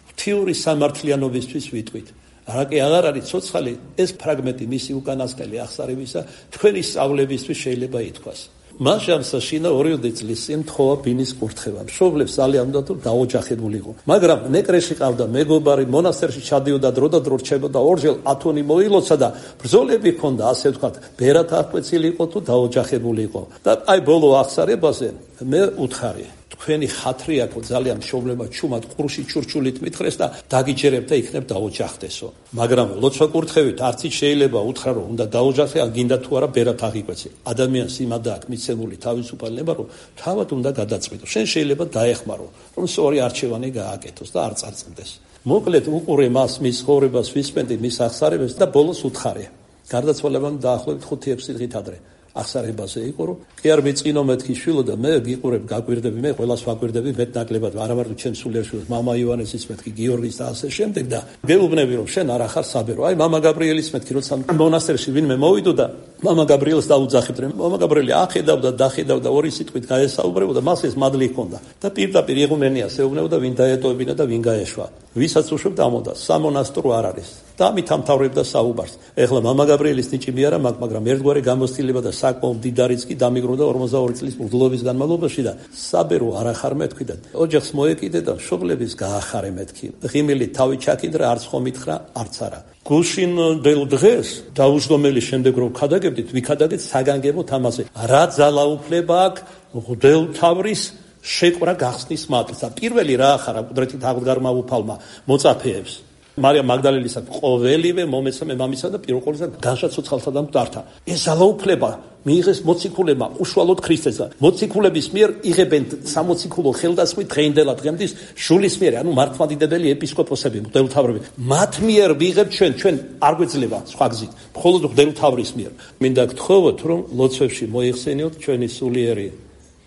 ღვთიური სამართლიანობისთვის ვიტყვით. რაკი აღარ არის ცოცხალი ეს ფრაგმენტი მისი უკანასკნელი აღსარებისა თქვენი სწავლებისთვის შეიძლება ითქვას. მას შემსაშინა 2 წლის წინ თხოვა ბინის კურთხევა. მშობლებს ძალიან უნდა თუ დაოჯახებულიყო. მაგრამ ნეკრეში ყავდა მეგობარი, მონასტერში ჩადიოდა დრო და დრო რჩებოდა, ორჯერ ათონი მოილოცა და ბრძოლები ჰქონდა, ასე ვთქვათ, ბერად აღკვეცილიყო თუ დაოჯახებულიყო. და აი ბოლო აღსარებაზე მე უთხარი თქვენი ხათრი აქვს ძალიან მშობლებმა ჩუმად ყურში ჩურჩულით მითხრეს და დაგიჯერებ და იქნებ დაოჯახდესო. მაგრამ ლოცვა კურთხევით არც შეიძლება უთხრა რომ უნდა დაოჯახდე, ან გინდა თუ არა ბერად აღიკვეცე. ადამიანს იმადა აქვს მიცემული თავისუფალი ნება, რომ თავად უნდა გადაწყვიტო. შენ შეიძლება დაეხმარო, რომ სწორი არჩევანი გააკეთოს და არ წარწმდეს. მოკლედ უყურე მას, მის ცხოვრებას, ვისმენდი მის აღსარებას და ბოლოს უთხარი. გარდაცვალებამ დაახლოებით 5-6 წლით ადრე. აღსარებაზე იყო, რომ კი არ მეწყინო მეთქი შვილო და მე გიყურებ, გაგვირდები, მე ყველას ვაგვირდები, მეტნაკლებად არა მარტო ჩემ სულიერ შვილს, მამა ივანესის მეთქი, გიორგის და ასე შემდეგ და გეუბნები, რომ შენ არ ახარ საბერო. აი მამა გაბრიელის მეთქი, როცა მონასტერში ვინმე მოვიდო და მამა გაბრიელს დაუძახებდნენ. მამა გაბრიელი ახედავდა, დახედავდა, ორი სიტყვით გაესაუბრებოდა, მას ეს მადლი ჰქონდა. და პირდაპირ იღუმენიას ეუბნებოდა, ვინ დაეტოვებინა და ვინ გაეშვა. ვისაც უშვებდა ამოდა, სამონასტრო არ არის. და ამით ამთავრებდა საუბარს. ეხლა მამა გაბრიელის ნიჭი მე არა მაქვს, მაგრამ ერთგვარი გამოცდილება და საკმაოდ დიდარიც კი დამიგროვდა 42 წლის მღვდლობის განმავლობაში და საბერო არ ახარ მეთქვი და ოჯახს მოეკიდე და მშობლების გაახარე მეთქი. ღიმილი თავი ჩაკიდრა, არც ხომ მითხრა, არც არა. გუშინ დელ დღეს დაუჯდომელი შემდეგ რომ ქადაგებდით, ვიქადაგეთ საგანგებოდ ამაზე. რა ძალაუფლება აქვს მღვდელთავრის შეკვრა გახსნის მატლს და პირველი რა ახარა კუდრეთით აღდგარმა უფალმა მოწაფეებს. მარიამ მაგდალელისაც ყოველივე მომეცამე მამისა და პირველ ყოვლისა განშა ცოცხალთა და მკვდართა. ეს ძალაუფლება მიიღეს მოციქულებმა უშუალოდ ქრისტესა. მოციქულების მიერ იღებენ სამოციქულო ხელდასხმით დღეინდელა დღემდის ჟულის მიერ, ანუ მართლმადიდებელი ეპისკოპოსები, მღვდელმთავრები. მათ მიერ ვიღებთ ჩვენ არ გვეძლება სხვა გზით, მხოლოდ მღვდელმთავრის მიერ. მინდა გთხოვოთ, რომ ლოცვებში მოიხსენიოთ ჩვენი სულიერი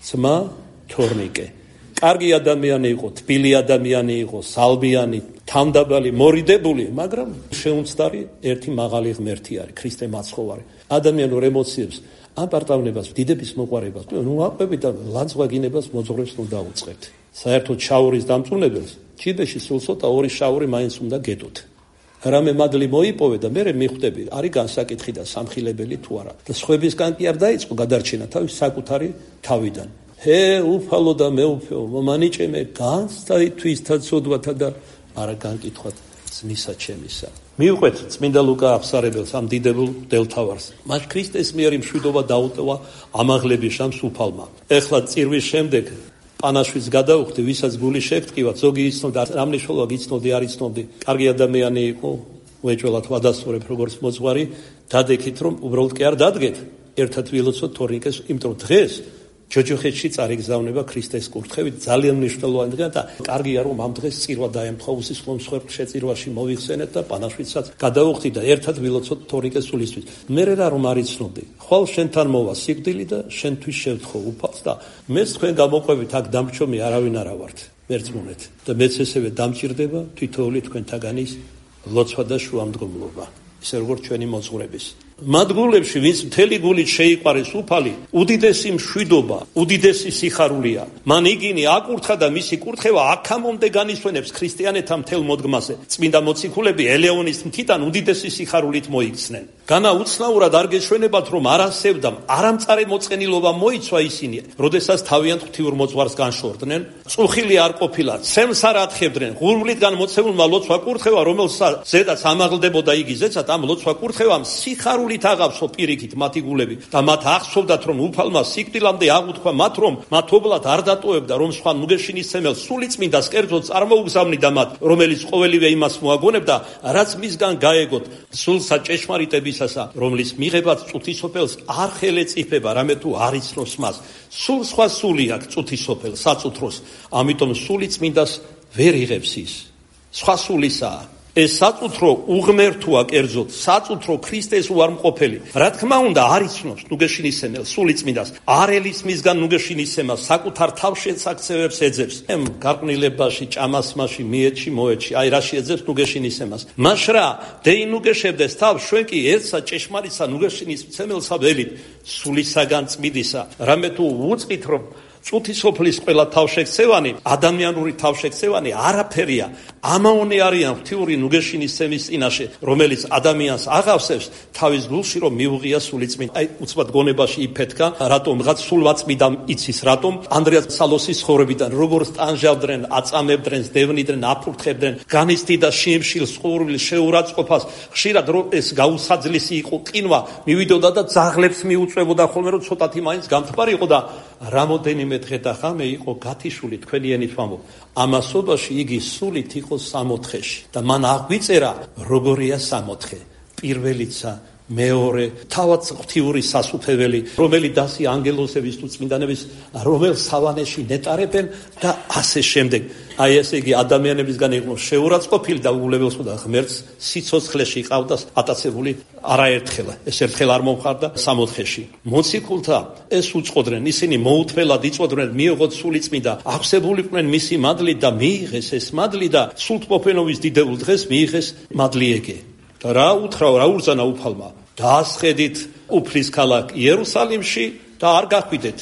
ძმა თორნიკე. კარგი ადამიანი იყო, თბილი ადამიანი იყო, სალბიანი, თამდაბალი, მორიდებული, მაგრამ შეუმცდარი ერთი მაღალი ღმერთი არის, ქრისტე მაცხოვარი. ადამიანურ ემოციებს, ამპარტავნებას, დიდების მოყვარებას, აყვებით და ლანძღვაგინებას მოძღვრებს რომ დაუწყებთ. საერთოდ შაურის დამწუნებელს ჯიბეში სულ ცოტა 2 შაური მაინც უნდა გეტოთ. რამე მადლი მოიპოვე და მე მიხვდები, არის განსაკითხი და სამხილებელი თუ არა. და სხვებისგან კი არ დაიწყო გადარჩენა თავის საკუთარი თავიდან. უფალო და მეუფეო, მომანიჭემე განსწაითვის თაცოდვათა და არა განკითხვათ ძმისა ჩემისა. მიუყვეთ წმინდა ლუკა აღსარებელს ამ დიდებულ მღვდელმთავარს. მას ქრისტეს მიერ მშვიდობა დაუტოვა ამაღლების შამს უფალმა. ეხლა წირვის შემდეგ პანაშვიდს გადაუხდი, ვისაც გული შეგტკივა, ზოგი იცნობდა, რამ მნიშვნელობა იცნობდი, არ იცნობდი. კარგი ადამიანი იყო, უეჭველად ვადასტურებ როგორც მოძღვარი, დადექით რომ უბრალოდ კი არ დადგეთ, ერთად ვილოცოთ თორნიკეს, იმიტომ დღეს ჯოჯოხეთში წარიგზავნება ქრისტეს კურთხევით ძალიან მნიშვნელოვანი დღეა და კარგია რომ ამ დღეს წირვა დაემთხვა უსისხლო მსხვერპლ შეწირვაში მოვიხსენეთ და პანაშვიდსაც გადავუხდით და ერთად ვილოცოთ თორნიკეს სულისთვის. მე რა რომ არ იცნობდი, ხვალ შენთან მოვა სიკვდილი და შენთვის შევთხო უფალს და მეც თქვენ გამოყვებით აქ დამრჩომი არავინ არა ვართ. მერწმუნეთ და მეც ესევე დამჭირდება თითოეული თქვენთაგანის ლოცვა და შუამდგომლობა, ისე როგორც ჩვენი მოძღვრების. მადგულებში, ვინც მთელი გულით შეიყვარეს უფალი, უდიდესი მშვიდობა, უდიდესი სიხარულია. მან იგინი აკურთხა და მისი კურთხევა აქამდე განისვენებს ქრისტიანეთა მთელ მოდგმაზე. წმინდა მოციქულები ელეონის მთიდან უდიდესი სიხარულით მოიქცნენ. განა უცნაურად არ გეშვენებათ, რომ არ ასევდამ, არამწარე მოწყენილობა მოიცვა ისინი, როდესაც თავიანთ ღვთიურ მოძღვარს განშორდნენ, წუხილი არ ყოფილა, ცემს არ ათხებდნენ, ღურბლიდან მოცეულმა ლოცვა კურთხევა, რომელსაც ზედაც ამაღლდებოდა იგი ზეცად, ამ ლოცვა კურთხევამ სიხარული აღავსო პირიქით მათი გულები და მათ ახსოვდათ რომ უფალმა სიკვდილამდე აღუთქვა მათ რომ მათ ობლად არ დატოვებდა რომ სხვა ნუგეშინისმცემელს სულიწმინდას კერძოდ წარმოუგზავნიდა მათ რომელიც ყოველივე იმას მოაგონებდა რაც მისგან გაეგოთ სულსა ჭეშმარიტებისასა რომლის მიღებაც წუთისოფელს არ ხელეწიფება რამე თუ არ იცნობს მას სულ სხვა სული აქვს წუთისოფელს საწუთროს ამიტომ სულიწმინდას ვერ იღებს ის სხვა სულისაა ეს საწუთრო უღმერთოა კერძოდ საწუთრო ქრისტეს უარმყოფელი რა თქმა უნდა არ იცნობს ნუგეშინისმცემელს სულიწმინდას არ ელის მისგან ნუგეშინისცემას საკუთარ თავშეცაქცევებს ეძებს ემ გარყვნილებაში ჭამასმაში მიეთში მოეთში აი რაში ეძებს ნუგეშინისცემას მაშრა დეი ნუგეშებდეს თავ ჩვენ კი ერთსა ჭეშმარიტსა ნუგეშინისმცემელსა ველით სულისაგან წმიდისა რამე თუ უწყით რომ წუთისოფლის ყველა თავშექცევანი, ადამიანური თავშექცევანი არაფერია. ამაონი არიან ღვთიური ნუგეშინისცემის წინაშე, რომელიც ადამიანს აღავსებს თავის გულში, რომ მიუღია სულიწმინდა. აი, უცბად გონებაში იფეთქა, რატომ რაღაც სულვაწმიდა იცის, რატომ ანდრია სალოსის ხოვრებიდან როგორ სტანჟავდნენ, აწამებდნენ, დევნიდნენ, აფურთხებდნენ, განიცდიდა შიმშილს, ყურვილს, შეურაცხყოფას, ხშირად რომ ეს გაუსაძლისი იყო ყინვა, მივიდოდა და ძაღლებს მიუწვევოდა ხოლმე, რომ ცოტათი მაინც გამთბარი იყო და რამოდენიმე დღე და ხამე იყო გათიშული თქვენი ენით ვამბობ. ამასობაში იგი სულით იყო 60-ში და მან აღვიწერა როგორია 60. პირველიცა მეორე თავად ღვთიური სასუფეველი რომელი დასი ანგელოზების თუ წმინდანების რომელ სავანეში ნეტარებენ და ასე შემდეგ აი ესე იგი ადამიანებისგან იყო შეურაცხყოფილი და უულებელსო და ღმერთს სიცოცხლეში ყავდა ატაცებული არაერთხელ ეს ერთხელ არ მომხარდა 60-ში მოციქულთა ეს უწყოდნენ ისინი მოუთმელად იწოდნენ მიიღოთ სულიწმინდა აღსებულიყვნენ მისი მადლით და მიიღეს ეს მადლი და სულთმოფენობის დიდებულ დღეს მიიღეს მადლი ეგე და რა უთხრა რა ურზანა უფალმა დაასხედით უფლის ქალაქ იერუსალიმში და არ გახვიდეთ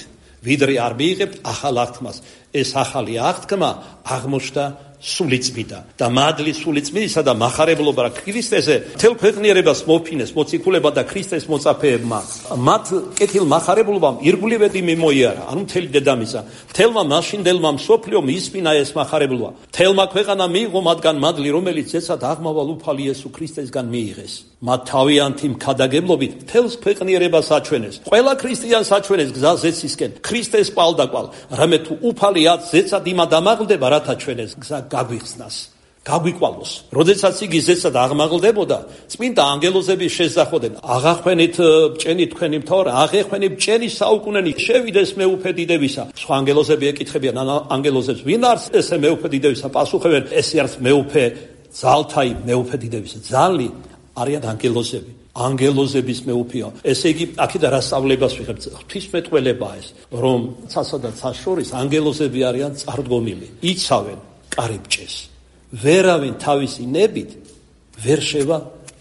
ვიდრე არ მიიღებთ ახალ აღთქმას ეს ახალი აღთქმა აღმოჩნდა სულიწმინდა და მადლი სულიწმინდისა და მახარებლობა ქრისტეზე მთელ ქვეყნიერებას მოფინეს მოციქულება და ქრისტეს მოწაფეებმა მათ კეთილ მახარებლობამ ირგვლივედი მიმოიარა ანუ მთელი დედამიწა მთელმა მაშინდელმა მსოფლიომ ისმინა ეს მახარებლობა მთელმა ქვეყანა მიიღო მათგან მადლი რომელიც ეცად აღმავალ უფალი იესო ქრისტესგან მიიღეს მათ თავიანთი მქადაგებლობით მთელს ქვეყნიერებას აჩვენეს ყველა ქრისტიანს აჩვენეს გზა ზეცისკენ ქრისტეს პალდაკვალ რამე თუ უფალი ათ ზეცად იმად ამაღლდება რათა ჩვენეს გზა გაგვიხსნას გაგვიკვალოს როდესაც იგი ზეცად აღმაღლდებოდა წმინდა ანგელოზები შესძახოდნენ აღახვენით ბჭენი თქვენი მთავარი აღეხვენით ბჭენი საუკუნენი შევიდეს მეუფე დიდებისა სხვა ანგელოზები ეკითხებიან ანგელოზებს ვინ არის ესე მეუფე დიდებისა პასუხებენ ესე არის მეუფე ძალთაი მეუფე დიდებისა ძალი არიან ანგელოზები ანგელოზების მეუფეა ესე იგი აქედან რა სწავლებას ვიღებთ ღვთისმეტყველებაა ეს რომ ცასა და ცას შორის ანგელოზები არიან წარდგომილი იცავენ კარიბჭეს ვერავინ თავისი ნებით ვერ შევა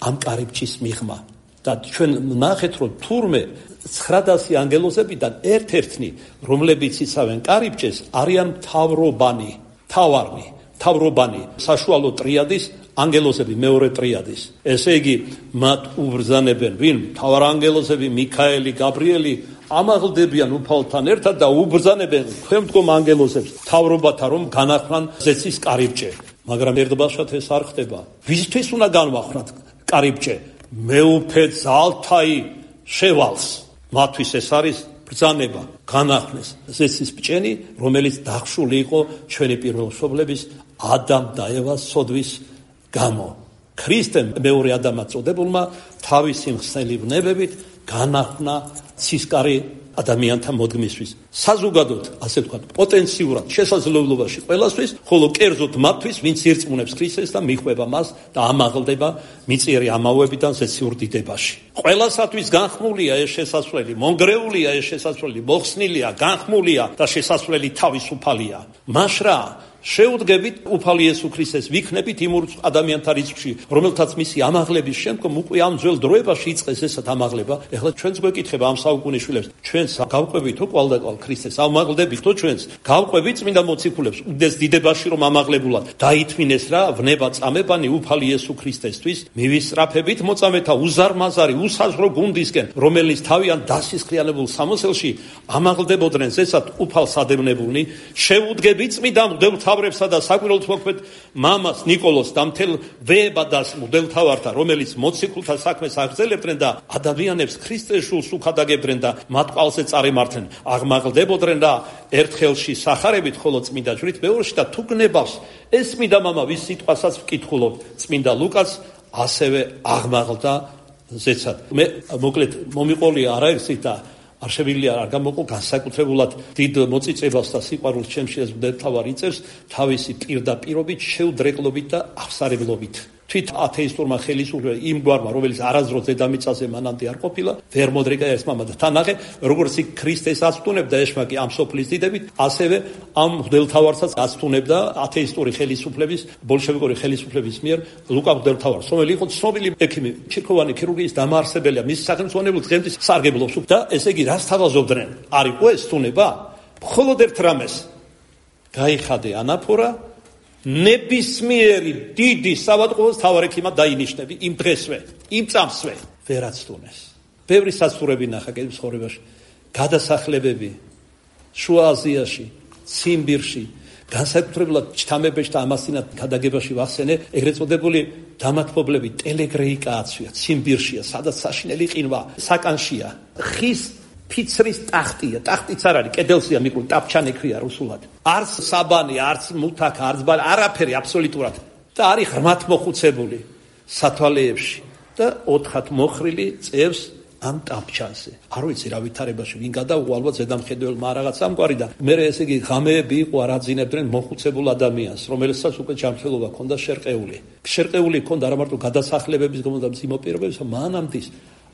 ამ კარიბჭის მიღმა და ჩვენ ნახეთ რომ თურმე 900 ანგელოზებიდან ერთ-ერთნი რომლებიც იცავენ კარიბჭეს არიან მთავრობანი თავრობანი საშუალო ტრიადის ანგელოზები მეორე ტრიადის ესე იგი მათ უბრძანებენ ვინ მთავარანგელოზები მიქაელი გაბრიელი ამაღლდებიან უფალთან ერთად და უბრძანებენ ქვემდგომ ანგელოზებს თავრობათა რომ განახრან ზეცის კარიბჭე მაგრამ ერთბაშად ეს არ ხდება ვისთვის უნდა განვახრათ კარიბჭე მეუფე ძალთაი შევალს მათთვის ეს არის ბრძანება განახრეს ზეცის ბჭენი რომელიც დახშული იყო ჩვენი პირველმშობლების ადამ და ევას სოდვის გამო ქრისტემ მეორე ადამიანად წოდებულმა თავისი მხსნელი ვნებებით განახნა ცისკარი ადამიანთა მოდგმისთვის. საზოგადოდ, ასე ვთქვათ, პოტენციურად შესაძლებლობაში ყველასთვის, ხოლო კერძოდ მათთვის, ვინც ირწმუნებს ქრისტეს და მიხვება მას და ამაღლდება მიწიერი ამაოებიდან ზეციურ დიდებაში. ყველასათვის განხმულია ეს შესასვლელი, მონგრეულია ეს შესასვლელი, მოხსნილია, განხმულია და შესასვლელი თავისუფალია. მაშრა შეუდგებით უფალი იესო ქრისტეს ვიქნებით იმ ადამიანთა რიცხვში, რომელთაც მისი ამაღლების შემდგომ უკვე ამ ძველ დროებაში იწყეს ესეთ ამაღლება. ეხლა ჩვენც გვეკითხება ამ საუკუნის შვილებს, ჩვენს გავყვებითო კვალდაკვალ ქრისტეს, ამაღლდებითო ჩვენს, გავყვებით წმინდა მოციქულებს, უდეს დიდებაში რომ ამაღლებულად დაითმინეს რა ვნება წამებანი უფალი იესო ქრისტესთვის, მივისწრაფებით მოწამეთა უზარმაზარი, უსაზღვრო გუნდისკენ, რომელიც თავიანთ დასისხლიანებულ სამოსელში ამაღლდებოდნენ ზესად უფალსადევნებულნი, შეუდგებით წმინდა მღვდელმთავრებსა და საკვირველთ მოქმედ მამას ნიკოლოზს და მთელ ვეებადას მღვდელმთავართა, რომელიც მოციქულთა საქმეს აგრძელებდნენ და ადამიანებს ქრისტეს შულს უხადაგებდნენ და მათ ყალზე წარემართნენ, აღმაღლდებოდნენ და ერთხელში სახარებით, ხოლო წმინდა ჯვრით მეორში და თუ გნებავს ეს წმინდა მამა, ვის სიტყვასაც ვკითხულობ, წმინდა ლუკას ასევე აღმაღლდა ზეცად. მე მოკლედ მომიყოლია არაერთი და არ შევიძლია არ გამოვყო განსაკუთრებულად დიდ მოწიწებას და სიყვარულს ჩემში ეს მღვდელმთავარი იწევს თავისი პირდაპირობით, შეუდრეკლობით და აღსარებლობით. თვით ათეისტურმა ხელისუფლებამ იმ გვარმა, რომელიც არასდროს დედამიწაზე მანამდე არ ყოფილა, ვერ მოდრეკა ეს მამა და თანახე, როგორც იქ ქრისტეს აცტუნებდა ეშმაკი ამ სოფლის დიდებით, ასევე ამ მღვდელმთავარსაც აცტუნებდა ათეისტური ხელისუფლების, ბოლშევიკური ხელისუფლების მიერ ლუკა მღვდელმთავარს, რომელიც იყო ცნობილი ექიმი, ჩირქოვანი ქირურგიის დამაარსებელია, მის სახელმწიფო დღემდე სარგებლობს და ესე იგი რას თავაზობდნენ? არ იყო ეს თუნება? მხოლოდ ერთ რამეს გაიხადე ანაფორა ნებისმიერი დიდი საავადმყოფოს თავარექიმად დაინიშნები იმ დღესვე, იმ წამსვე ვერაცდუნეს. ბევრი საცურები ნახა კიდევ ცხოვრებაში, გადასახლებები შუა აზიაში, ციმბირში, განსაკუთრებულად ჩთამებეში და ამასინად გადაგებაში ვახსენე, ეგრეთ წოდებული დამათმობლები ტელეგრეიკა აცვია, ციმბირშია, სადაც საშინელი ყინვა, საკანშია, ხის ფიცრის ტახტია, ტახტიც არ არის, კედელსია მიკრული, ტაფჩანი ქვია რუსულად. არც საბანი, არც მუთაკა, არც ბალი, არაფერი აბსოლუტურად. და არის ღრმად მოხუცებული სათვალეებში და 4-ად მოხრილი წევს ამ ტაფჩანზე. არ ვიცი რა ვითარებაში ვინ გადაუღო, ალბათ ზედამხედველმა რაღაც ამგვარი და მე ესე იგი ღამეები იყო არაძინებდნენ მოხუცებულ ადამიანს, რომელსაც უკვე ჯანმრთელობა ჰქონდა შერყეული. შერყეული ჰქონდა არა მარტო გადასახლებების გამო და მძიმე პირობების, მანამდე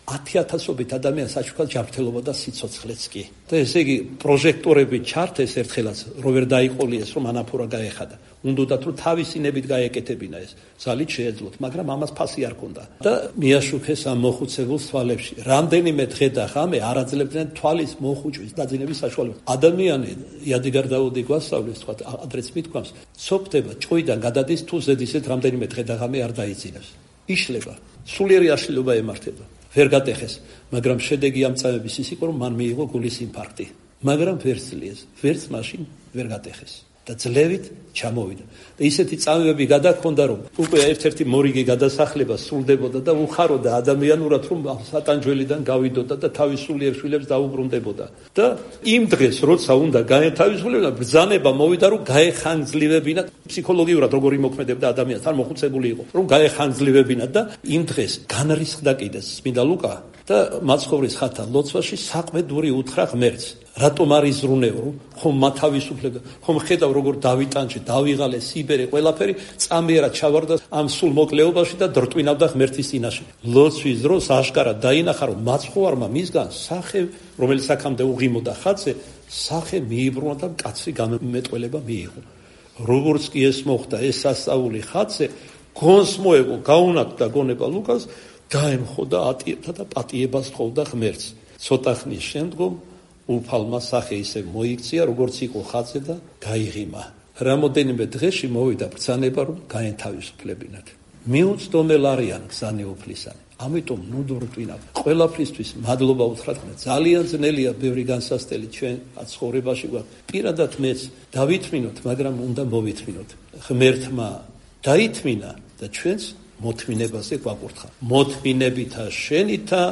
10,000-ობით ადამიანს აჩუქა ჯანმრთელობა და სიცოცხლეც კი. და ესე იგი პროჟექტორები ჩართეს ერთხელაც, რომ ვერ დაიყოლიეს, რომ ანაფორა გაეხადა. უნდათ რომ თავისი ნებით გაეკეთებინა ეს. ძალით შეეძლოთ, მაგრამ ამას ფასი არ ქონდა. და მიაშუქეს ამ მოხუცებულს თვალებში. რამდენიმე დღე და ღამე არ აძლევდნენ თვალის მოხუჭვის დაძინების საშუალებას. ადამიანი იადიგარ დაუდი გვასწავლის, თქვა ადრეც მithქვამს, სოფდება, ჭოიდან გადადის თუ ზედისეთ რამდენიმე დღე და ღამე არ დაიძინებს. იშლება, სულიერი აშლილობა ემართება. ვერ გადეხეს, მაგრამ შედეგი ამ წამების ის იყო, რომ მან მიიღო გულის ინფარქტი. მაგრამ ვერ ძლიეს, ვერც მაშინ ვერ გადეხეს და ძლევით ჩამოვიდა. და ისეთი წამებები გადაქონდა, რომ უკვე ერთ-ერთი მორიგი გადასახლება სრულდებოდა და უხაროდა ადამიანურად, რომ სატანჯველიდან გავიდოდა და თავის სულიერ შვილებს დაუბრუნდებოდა. და იმ დღეს, როცა უნდა გაეთავისუფლებინა, ბრძანება მოვიდა, რომ გაეხანგძლილებინა ფსიქოლოგიურად როგორი მოქმედებდა ადამიანს, არ მოხუცებული იყო, რომ გაეხანგძლილებინა და იმ დღეს განრისხდა კიდეც წმინდა ლუკა და მაცხოვრის ხათა ლოცვაში საყვედური უთხრა ღმერთს. რატომ არ იზრუნეო, ხომ მათავისუფლებდა, ხომ ხედავ როგორ დავიტანჯე, დავიღალე სიბერე, ყველაფერი წამიერად ჩავარდა ამ სულ მოკლეობაში და დრტვინავდა ღმერთის წინაშე. ლოცვის დროს აშკარად დაინახა, რომ მაცხოვარმა მისგან სახე, რომელიც აქამდე უღიმოდა ხაცე, სახე მიიბრუნა და კაცრი გამეტყველება მიიღო. როგორც კი ეს მოხდა, ეს სასწაული ხაცე გონს მოეგო, გაუნათდა გონება ლუკას, დაემხოდა ატიებდა და პატიებას თხოვდა ღმერთს. ცოტა ხნის შემდგომ უფალმა სახე ისე მოიქცია, როგორც იყო ხაცე და გაიღიმა. რამოდენიმე დღეში მოვიდა ბრძანება, რომ გაენთავისუფლებინათ. მიუწდომელ არიან გზანი უფლისანი. ამიტომ ნუდურტვინა ყველაფრისთვის მადლობა უთხრათ. ძალიან ძნელია ბევრი განსასწრელი ჩვენ ცხოვრებაში გვაქვს. პირადად მეც დავითმინოთ, მაგრამ უნდა მოვითმინოთ. ღმერთმა დაითმინა და ჩვენც მოთმინებაზე გვაკურთხა. მოთმინებითა შენითა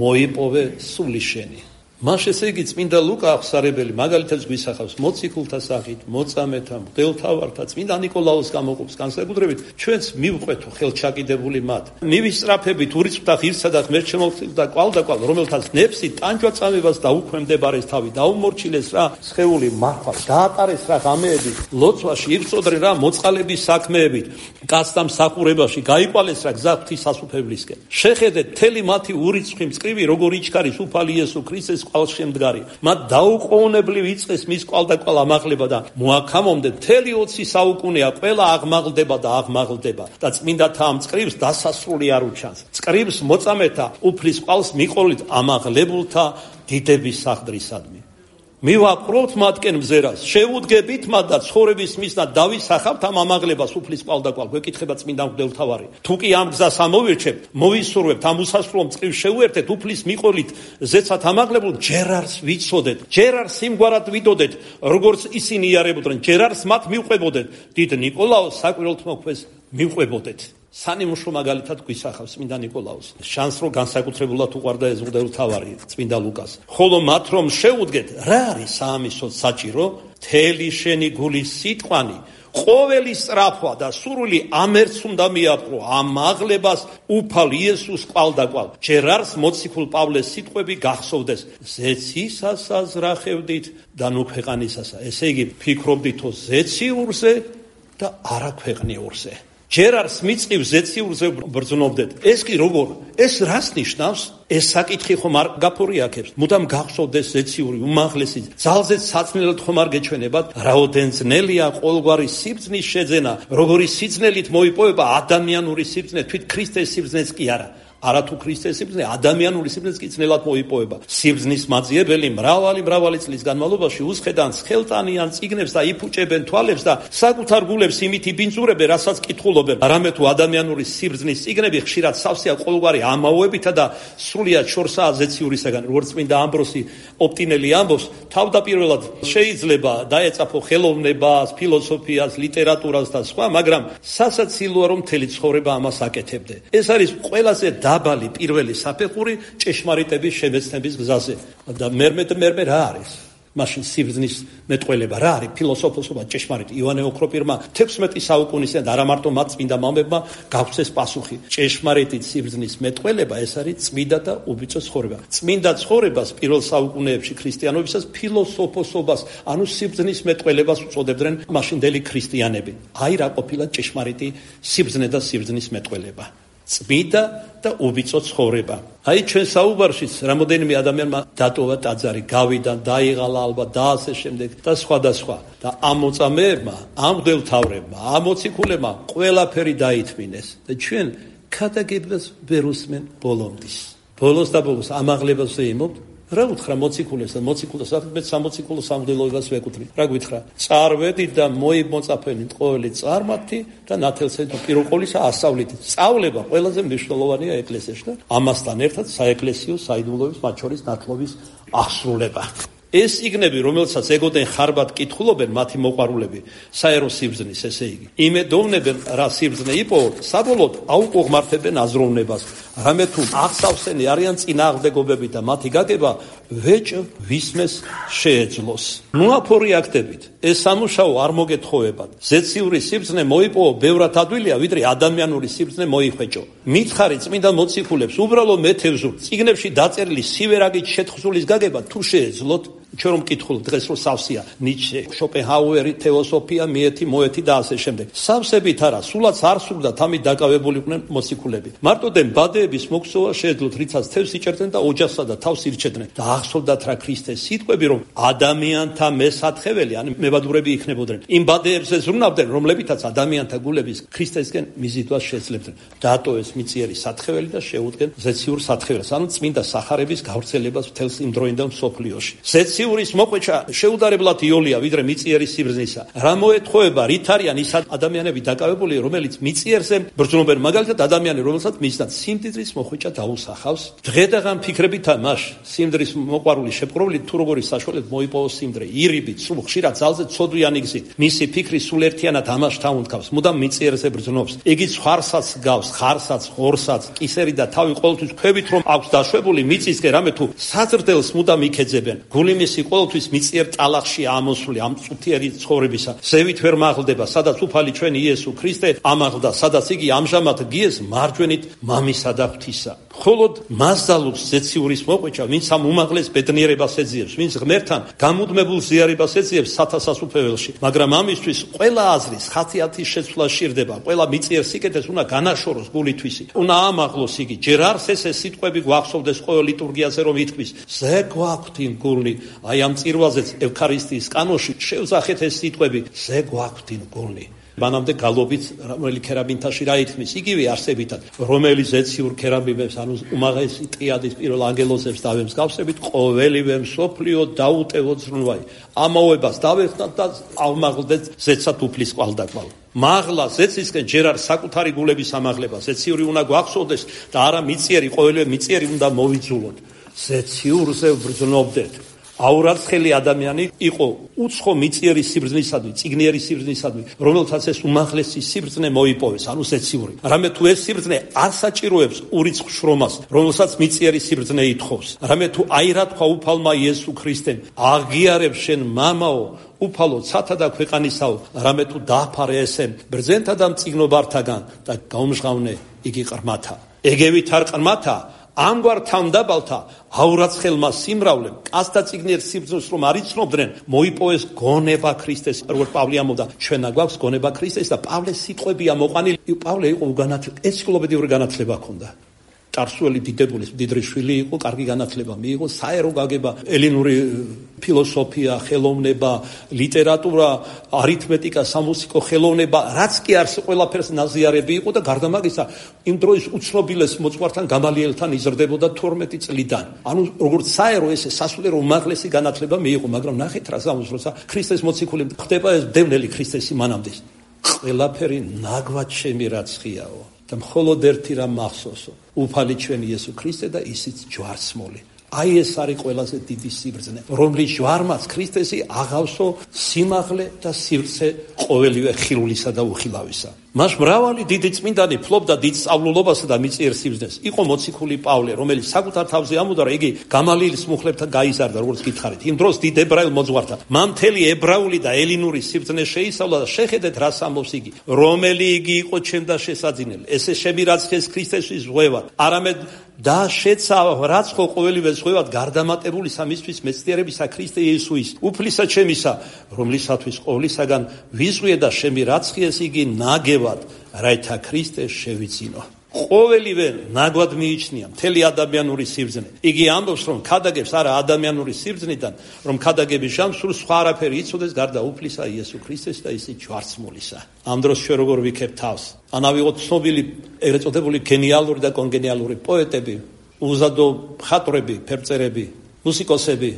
მოიპოვე სული შენი. მას ესე იგი წმინდა ლუკა აღსარებელი მაგალითად გვისახავს მოციქულთა სახით, მოწამეთა, მღვდელმთავართა, წმინდა ნიკოლაოს გამოყოფს განსაკუთრებით ჩვენს მივყვეთო ხელჩაკიდებული მათ. მივისწრაფებით ურიცხვთა ღირსა და ღმერთშემოქმედება და კვალდაკვალ, რომელთაც ნეფსი ტანჯვა-წამებას დაუქვემდებარეს თავი, დაუმორჩილეს რა სხეული მართვა, დაატარეს რა ღამეები, ლოცვაში იბრძოდნენ რა მოწყალების საქმეებით, კაცთა მსახურებაში, გაიყვალეს რა გზა ღვთისასუფევლისკენ. შეხედეთ მთელი მათი ურიცხვი მწკრივი, როგორ იჩქარის უფალი იესო ქრისტეს კვალშემდგარი. მათ დაუყოვნებლივ იწყეს მის კვალდაკვალ ამაღლება და მოაქამომდე მთელი 20 საუკუნეა ყველა აღმაღლდება და აღმაღლდება და წმინდათა ამ მწკრივს დასასრული არ უჩანს. მწკრივს მოწამეთა უფლის კვალს მიყოლით ამაღლებულთა დიდების სახლდრისადმი. მივაპყრობთ მათკენ მზერას, შევუდგებით მათ და ცხოვრების მისნა დავისახავთ ამ ამაღლებას უფლის კვალდაკვალ. გვეკითხება წმინდა მღვდელმთავარი. თუ კი ამ გზას ამოვირჩევთ, მოვისურვებთ, ამ უსასრულო მწკრივს შევუერთეთ, უფლის მიყოლით ზეცად ამაღლებულ, ჯერ არს ვიცოდეთ, ჯერ არს იმგვარად ვიდოდეთ, როგორც ისინი იარებოდნენ, ჯერ არს მათ მივყვებოდეთ, დიდ ნიკოლაოს საკვირველთმოქმედს მივყვებოდეთ. სანიმუშო მაგალითად გვისახავს წმინდა ნიკოლაოს. შანს რომ განსაკუთრებულად უყვარდა ეს მღვდელმთავარი წმინდა ლუკას. ხოლო მათ რომ შეუდგეთ, რა არის საამისოდ საჭირო? მთელი შენი გულის სიტყვანი, ყოველი სწრაფვა და სურვილი ამერც უნდა მიაპყრო ამაღლებას უფალ იესოს კვალდაკვალ. ჯერ არს მოციქულ პავლეს სიტყვები გახსოვდეს, ზეცისას აზრახევდით და ნუ ქვეყანისასა. ესე იგი ფიქრობდითო ზეციურზე და არა ქვეყნიურზე. ჯერ არს მიწივ ზეციურზე ბრძნობდეთ. ეს კი როგორ? ეს რას ნიშნავს? ეს საკითხი ხომ არ გაფორიაქებს? მუდამ გახსოვდეს ზეციური უმაღლესი ძალზეც საწნელად ხომ არ გეჩვენებათ? რაოდენ ძნელია ყოველგვარი სიბრძნის შეძენა, როგორი სიბრძნელით მოიპოვება ადამიანური სიბრძნე, თვით ქრისტეს სიბრძნეც კი არა. არათუ ქრისტეს სიბრძნე, ადამიანური სიბრძნეც კი ძნელად მოიპოვება. სიბრძნის მაძიებელი მრავალი წლის განმავლობაში უსხედან ხელტანიან წიგნებს და იფუჭებენ თვალებს და საკუთარ გულებს იმით იბინძურებენ, რასაც კითხულობენ. არამედ თუ ადამიანური სიბრძნის წიგნები ხშირად სავსეა ყოველგვარი ამაოებითა და სრულიად შორსაა ზეციურისაგან. როგორც წმინდა ამბროსი ოპტინელი ამბობს, თავდაპირველად შეიძლება დაეწაფო ხელოვნებას, ფილოსოფიას, ლიტერატურას და სხვა, მაგრამ სასაცილოა რომ მთელი ცხოვრება ამას აკეთებდე. ეს არის ყველაზე დაბალი პირველი საფეხური ჭეშმარიტების შემეცნების გზაზე. და მერმე რა არის? მაშინ სიბრძნის მეტყველება რა არის? ფილოსოფოსობა ჭეშმარიტი. იოანე ოქროპირმა 16 საუკუნისიდან და არა მარტო მათ წმინდა მამებმა გაგვცეს პასუხი. ჭეშმარიტი სიბრძნის მეტყველება ეს არის წმინდა და უბიწო ცხოვრება. წმინდა ცხოვრებას პირველ საუკუნეებში ქრისტიანობისას ფილოსოფოსობას, ანუ სიბრძნის მეტყველებას უწოდებდნენ მაშინდელი ქრისტიანები. აი რა ყოფილა ჭეშმარიტი სიბრძნე და სიბრძნის მეტყველება. წმინდა და უბიწო ცხოვრება. აი ჩვენ საუბარშიც რამოდენიმე ადამიანმა დატოვა ტაძარი, გავიდა, დაიღალა ალბათ და ასე შემდეგ და სხვა. და ამ მოწამეებმა, ამ მღვდელმთავრებმა, ამ მოციქულებმა ყველაფერი დაითმინეს და ჩვენ ქადაგებას ვერ უსმენ ბოლომდის. ბოლოს ამაღლებას ვეიმობთ. რა უთხრა მოციქულებს და მოციქულს მე სამოციქულო სამღვდელოებას ვეკუთვნი. რა გითხრა? წარვედით და მოიმოწაფენით ყოველი წარმართი და ნათელსა და პიროყოლისა ასავლით. სწავლება ყველაზე მნიშვნელოვანია ეკლესიაში და ამასთან ერთად საეკლესიო საიდუმლოების მათ შორის ნათლობის აღსრულება. ეს იგნები, რომელსაც ეგოდენ ხარბად კითხულობენ მათი მოყვარულები, საერო სიბრძნის, ესე იგი. იმედოვნებენ რა სიბრძნე იპოვოთ, საბოლოოდ აუკუღმართებენ აზროვნებას. რამე თუ აღსავსენი არიან წინააღმდეგობები და მათი გაგება ვეჭ ვისმეს შეეძლოს. მოაფორიაქტებით, ეს სამუშაო არ მოგეთხოვებათ. ზეციური სიბრძნე მოიპოვო ბევრად ადვილია, ვიდრე ადამიანური სიბრძნე მოიხვეჭო. მითხარი წმინდა მოციქულებს, უბრალოდ მეთევზურთ, წიგნებში დაწერილი სივერაგით შეთხზულის გაგება თუ შეეძლოთ. ჩვენ რომ მკითხულობთ დღეს რომ სავსეა ნიჩე, შოპენჰაუერი, თეოსოფია, მიეთი, მოეთი და ასე შემდეგ. სავსებით არა, სულაც არ სურდათ ამით დაკავებულიყვნენ მოციქულები. მარტოდენ ბადეების მოქსოვა შეეძლოთ, რიცაც თევს იჭერდნენ და ოჯახსა და თავს ირჩედნენ და ახსოვდათ რა ქრისტეს სიტყვები, რომ ადამიანთა მესათხეველი, ან მებადურები იქნებოდნენ. იმ ბადეებზე ზრუნავდნენ, რომლებითაც ადამიანთა გულების ქრისტესკენ მიზიდვას შეძლებდნენ. დატოვეს მიწიერი სათხეველი და შეუდგენ ზეციურ სათხეველს, ანუ წმინდა სახარების გავრცელებას მთელს იმ დროინდელ მსოფლიოში. ზეციურის მოყვეჩა შეუდარებლად იოლია ვიდრე მიწიერის სიბრძნისა. რა მოეთხოვება, რით არიან ის ადამიანები დაკავებული, რომელიც მიწიერზე ბრძნობენ, მაგალითად ადამიანი, რომელსაც მისდან სიმდიდრის მოყვეჩა დაუსახავს, დღედაღამ ფიქრებითა მას სიმდრის მოყვარული შეპყრობილი თუ როგორი საშუალებით მოიპოვოს სიმდრე, ირიბით, სულ ხშირად ძალზე ცოდვიანი გზით, მისი ფიქრი სულ ერთიანად ამას თავუნთქავს, მუდამ მიწიერზე ბრძნობს. იგი ხარსაც გავს, ხარსაც, ღორსაც, კისერი და თავი ყოველთვის ქვევით რომ აქვს დაშვებული მიწისკენ, რამე თუ საზრდელს მუდამ იქეძებენ. გული მისი ყოველთვის მიწიერ ტალახში ამოსული ამ წუთიერი ცხოვრებისა. ზევით ვერ მაღლდება, სადაც უფალი ჩვენი იესო ქრისტე ამაღლდა, სადაც იგი ამჟამად გიეს მარჯვენით მამისა და ღვთისა. მხოლოდ მას ძალობს ზეციურის მოყვეჩა, ვინც ამ უმაღლეს ბედნიერებას ეძიებს, ვინც ღმერთთან გამუდმებულ ზიარებას ეძიებს სათა სასუფეველში. მაგრამ ამისთვის ყველა აზრის ხასიათის შეცვლა სჭირდება, ყველა მიწიერ სიკეთეს უნდა განაშოროს გულითვისი, უნდა ამაღლოს იგი. ჯერ არც ესე სიტყვები გვახსოვდეს ყოველ ლიტურგიაზე რომ ითქვის, ზე გვაქვთ იმ გულნი, აი ამ წირვაზეც ევქარისტიის კანონში შევძახეთ ეს სიტყვები, ზე გვაქვთ იმ გულნი. მანამდე გალობით რომელი ქერაბინთაში რა ითქმის, იგივე არსებითად, რომელი ზეციურ ქერაბინებს, ანუ უმაღლესი ტრიადის პირველ ანგელოზებს დავემსგავსებით, ყოველივე მსოფლიო დაუტევოთ ზრუნვაი. ამოვებას დავეხნათ და ავმაღლდეთ ზეცად უფლის კვალდაკვალ. მაღლა ზეცისკენ ჯერ არ საკუთარი გულების ამაღლება, ზეციური უნდა გვახსოვდეს და არა მიწიერი, ყოველივე მიწიერი უნდა მოვიძულოთ. ზეციურზე ვბრძნობდეთ. აურაცხელი ადამიანი იყო უცხო მიწიერი სიბრძნისადმი, წიგნიერი სიბრძნისადმი, რომელთაც ეს უმაღლესი სიბრძნე მოიპოვეს, ანუ ზეციური. რამე თუ ეს სიბრძნე არ საჭიროებს ურიცხ შრომას, რომელსაც მიწიერი სიბრძნე ითხოვს. რამე თუ აი რა თქვა უფალმა იესო ქრისტემ, აღიარებ შენ მამაო, უფალო ცათა და ქვეყანისაო, რამე თუ დააფარე ესენ ბრძენთა და მწიგნობართაგან და გაუმჟღავნე იგი ყრმათა. ეგევით არ ყრმათა, ამგვარ თავდაბალთა აურაცხელმა სიმრავლემ კაცთა წიგნიერ სიბრძნეს რომ არ იცნობდნენ, მოიპოვეს გონება ქრისტეს. როგორც პავლე ამბობდა, ჩვენა გვაქვს გონება ქრისტეს და პავლეს სიტყვებია მოყვანილი. პავლე იყო ენციკლოპედიური განათლება ჰქონდა. წარსული დიდებულის მდიდრიშვილი იყო, კარგი განათლება მიიღო, საერო გაგება, ელინური ფილოსოფია, ხელოვნება, ლიტერატურა, არითმეტიკა, სამუსიკო ხელოვნება, რაც კი არს ყველაფერს ნაზიარები იყო და გარდა მაგისა, იმ დროის უცნობილეს მოძღვართან გამალიელთან იზრდებოდა 12 წლიდან. ანუ როგორც საერო ესე სასულიერო უმაღლესი განათლება მიიღო, მაგრამ ნახეთ რა ზამოს, როცა ქრისტეს მოციქული ხდება ეს დევნელი ქრისტესი მანამდე. ყველაფერი ნაგვად ჩემი რაცხიაო. და მხოლოდ ერთი რამ მახსოვსო, უფალი ჩვენი იესო ქრისტე და ისიც ჯვარცმული. აი ეს არის ყველაზე დიდი სიბრძნე, რომლის ჯვარმაც ქრისტესი აღავსო სიმაღლე და სივრცე ყოველივე ხილულისა და უხილავისა. მას მრავალი დიდი წმინდანი ფლობდა დიდ სწავლულობასა და მიწიერ სიბრძნეს. იყო მოციქული პავლე, რომელიც საკუთარ თავზე ამბობდა, რომ იგი გამალielis მუხლებთან გაიზარდა, როგორც გითხარით. იმ დროს დიდ ებრაელ მოძღვართან. მან მთელი ებრაული და ელინური სიბრძნე შეისწავლა და შეხედეთ რას ამბობს იგი. რომელი იგი იყო ჩემ და შესაძინელი. ესე შემირაცხეს ქრისტესთვის ზღვევად. არამედ და შეცა რაც ხო ყოველივე ზღვევად გარდამატებული სამისთვის მეცნიერებისა ქრისტე იესოის უფლისა ჩემისა, რომლისათვის ყოვლისაგან ვიზღვიე და შემირაცხეს იგი ნაგევად, რაითა ქრისტე შევიძინო. ყოველივე ნაგვად მიიჩნია მთელი ადამიანური სიბრძნე. იგი ამბობს, რომ ქადაგებს არა ადამიანური სიბრძნიდან, რომ ქადაგების ჟამს სულ სხვა არაფერი იცოდეს გარდა უფლისა იესო ქრისტეს და ისიც ჯვარცმულისა. ამ დროს ჩვენ როგორ ვიქებ თავს? ან ავიღოთ ცნობილი ეგრეთ წოდებული გენიალური და კონგენიალური პოეტები, უზადო მხატვრები, ფერწერები, მუსიკოსები,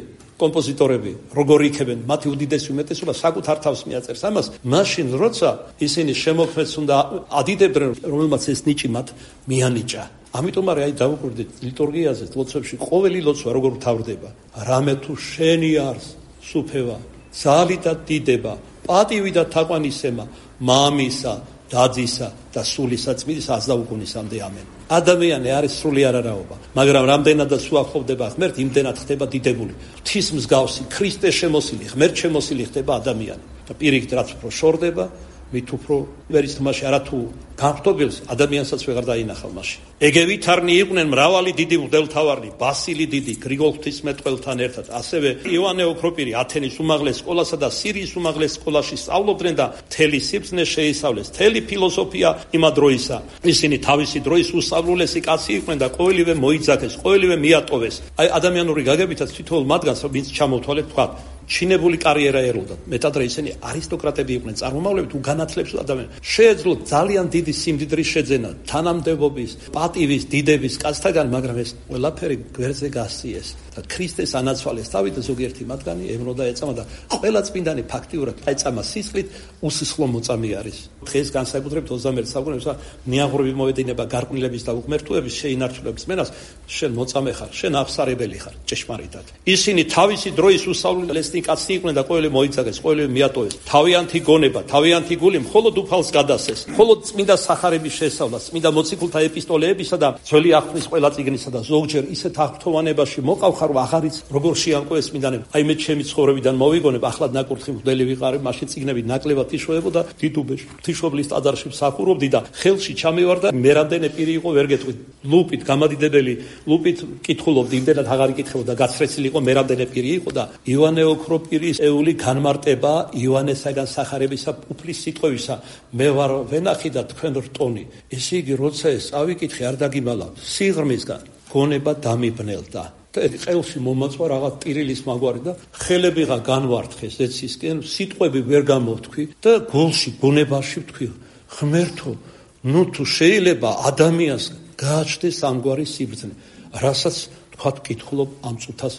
კომპოზიტორები, როგორ იქებენ, მათი უდიდესი უმეტესობა საკუთარ თავს მიაწერს ამას, მაშინ როცა ისინი შემოქმედს უნდა ადიდებდნენ, რომელმაც ეს ნიჭი მათ მიანიჭა. ამიტომ არის აი დავუკვირდით ლიტურგიაზე, ლოცვებში ყოველი ლოცვა როგორ მთავრდება. რამე თუ შენი არს სუფევა, ძალი და დიდება, პატივი და თაყვანისცემა, მამისა, დაძისა და სულისა წმინდის აზდაუგუნისამდე ამენ. ადამიანი არის სრული არარაობა, მაგრამ რამდენადაც უახლოვდება ღმერთ, იმდენად ხდება დიდებული. ღვთის მსგავსი, ქრისტე შემოსილი, ღმერთ შემოსილი ხდება ადამიანი. და პირიქით რაც უფრო შორდება, მით უფრო ვერის თმაში არათუ განხტობილს ადამიანსაც ვეღარ დაინახავ მაშინ. ეგევით არნი იყვნენ მრავალი დიდი მღვდელმთავარი, ბასილი დიდი, გრიგოლ ღვთისმეტყველთან ერთად, ასევე იოანე ოქროპირი ათენის უმაღლეს სკოლასა და სირიის უმაღლეს სკოლაში სწავლობდნენ და მთელი სიბრძნე შეისწავლეს, მთელი ფილოსოფია იმ დროისა. ისინი თავისი დროის უსწავლულესი კაცი იყვნენ და ყოველივე მოიძახეს, ყოველივე მიატოვეს. აი ადამიანური გაგებითაც თითოეულ მათგანს ვინც ჩამოვთვალეთ თქვა, ჩინებული კარიერა ეროვნდა. მეტად რა ისინი არისტოკრატები იყვნენ, წარმომავლები თუ განათლებს ადამიანს. შეეძლოთ ძალიან დიდი ღმერთის სიმდიდრის შეძენა, თანამდებობის, პატივის, დიდების კაცთაგან, მაგრამ ეს ყველაფერი გვერდზე გასწიეს და ქრისტეს ანაცვალეს. თავით ზოგიერთი მათგანი ევნოდა ეწამა და ყველა წმინდანი ფაქტიურად ეწამა სისხლით უსისხლო მოწამე არის. დღეს განსაკუთრებით 21 საუკუნეში ნიაღურები მოედინება გარყვნილების და უღმერთოების შეინარჩუნების მენას, შენ მოწამე ხარ, შენ აღსარებელი ხარ, ჭეშმარიტად. ისინი თავისი დროის უსავლელი ლესნი კაცი იყვნენ და ყოველი მოიცაგეს, ყოველი მიატოვეს. თავიანთი გონება, თავიანთი გული მხოლოდ უფალს გადასცეს. მხოლოდ წმინდა სახარების შესწავლა, წმინდა მოციქულთა ეპისტოლეებისა და ძველი აღთქმის ყველა წიგნისა და ზოგჯერ ისეთ აღფრთოვანებაში მოყავხარ, აღარიც როგორ შეამკვეს წმინდანები. აი მე ჩემი ცხოვრებიდან მოვიგონებ, ახლად ნაკურთხი მღვდელი ვიყარე, მაშინ წიგნები ნაკლებად იშოვებოდა დიდუბეში. ღვთისმშობლის ტაძარში მსახურობდი და ხელში ჩამევარ და მე რამდენი პირი იყო ვერ გეტყვით. ლუპით გამადიდებელი, ლუპით კითხულობდი, იმდენად აღარ იკითხებოდა, გაცრეცილი იყო, მე რამდენი პირი იყო და ივანე ოქროპირის ეული განმარტება ივანესაგან სახარებისა უფლის სიტყვებისა. მე ვარ ვენახი და თქვენ რტონი. ესე იგი, როცა ეს წავიკითხე, არ დაგიმალა სიღრმისგან, გონება დამიბნელდა. ყელში მომაწვა რაღაც ტირილის მაგვარი და ხელებიღა განვარტყეს ეცისკენ, სიტყვები ვერ გამოვთქვი და გულში, გონებაში ვთქვი, ღმერთო, ნუ თუ შეიძლება ადამიანს გააჩნდეს ამგვარი სიბრძნე, რასაც თქვათ კითხულობ ამ წუთას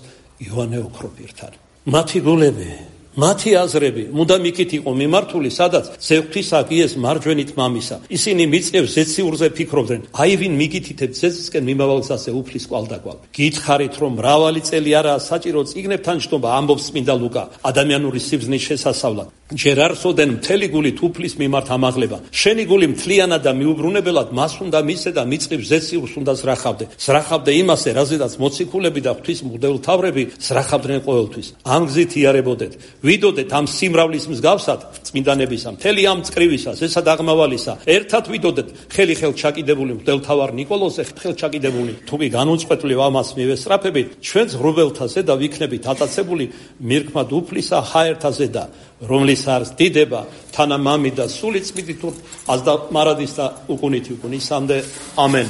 ივანე ოქროპირთან. მათი გულები, მათი აზრები, მუდამ იქით იყო მიმართული, სადაც ზეღვთისა გიეს მარჯვენით მამისა. ისინი მიწევს ზეციურზე ფიქრობდნენ, აი ვინ მიგითითებ ზეცისკენ მიმავალ გზაზე უფლის კვალდაკვალ. გითხარით, რომ მრავალი წელი არაა საჭირო წიგნებთან ჯდომა, ამბობს წმინდა ლუკა, ადამიანური სიბრძნის შესასავლად. ჯერ არ სოდენ მთელი გულით უფლის მიმართ ამაღლება. შენი გული მთლიანად და მიუბრუნებელად მას უნდა მისცე და მიწევს ზეციურს უნდა ზრახავდე. ზრახავდე იმასე, რაზედაც მოციქულები და ღვთის მღვდელმთავრები ზრახავდნენ ყოველთვის. ამ გზით იარებოდეთ. ვიდოდეთ ამ სიმრავლის მსგავსად წმინდანებისა, მთელი ამ წკრივისა, ზესა დაღმავალისა, ერთად ვიდოდეთ ხელი ხელ ჩაკიდებული მღვდელმთავარ ნიკოლოზზე, ხელ ჩაკიდებული თუკი განუწყვეტლივ ამას მივესწრაფებით, ჩვენც ღრუბელთაზე და ვიქნებით ატაცებული მირქმად უფლისა ჰაერთაზე და რომლის არის დიდება, თანამამი და სული წმინდით აზდა მარადის და უკუნითი უკუნისამდე. ამენ.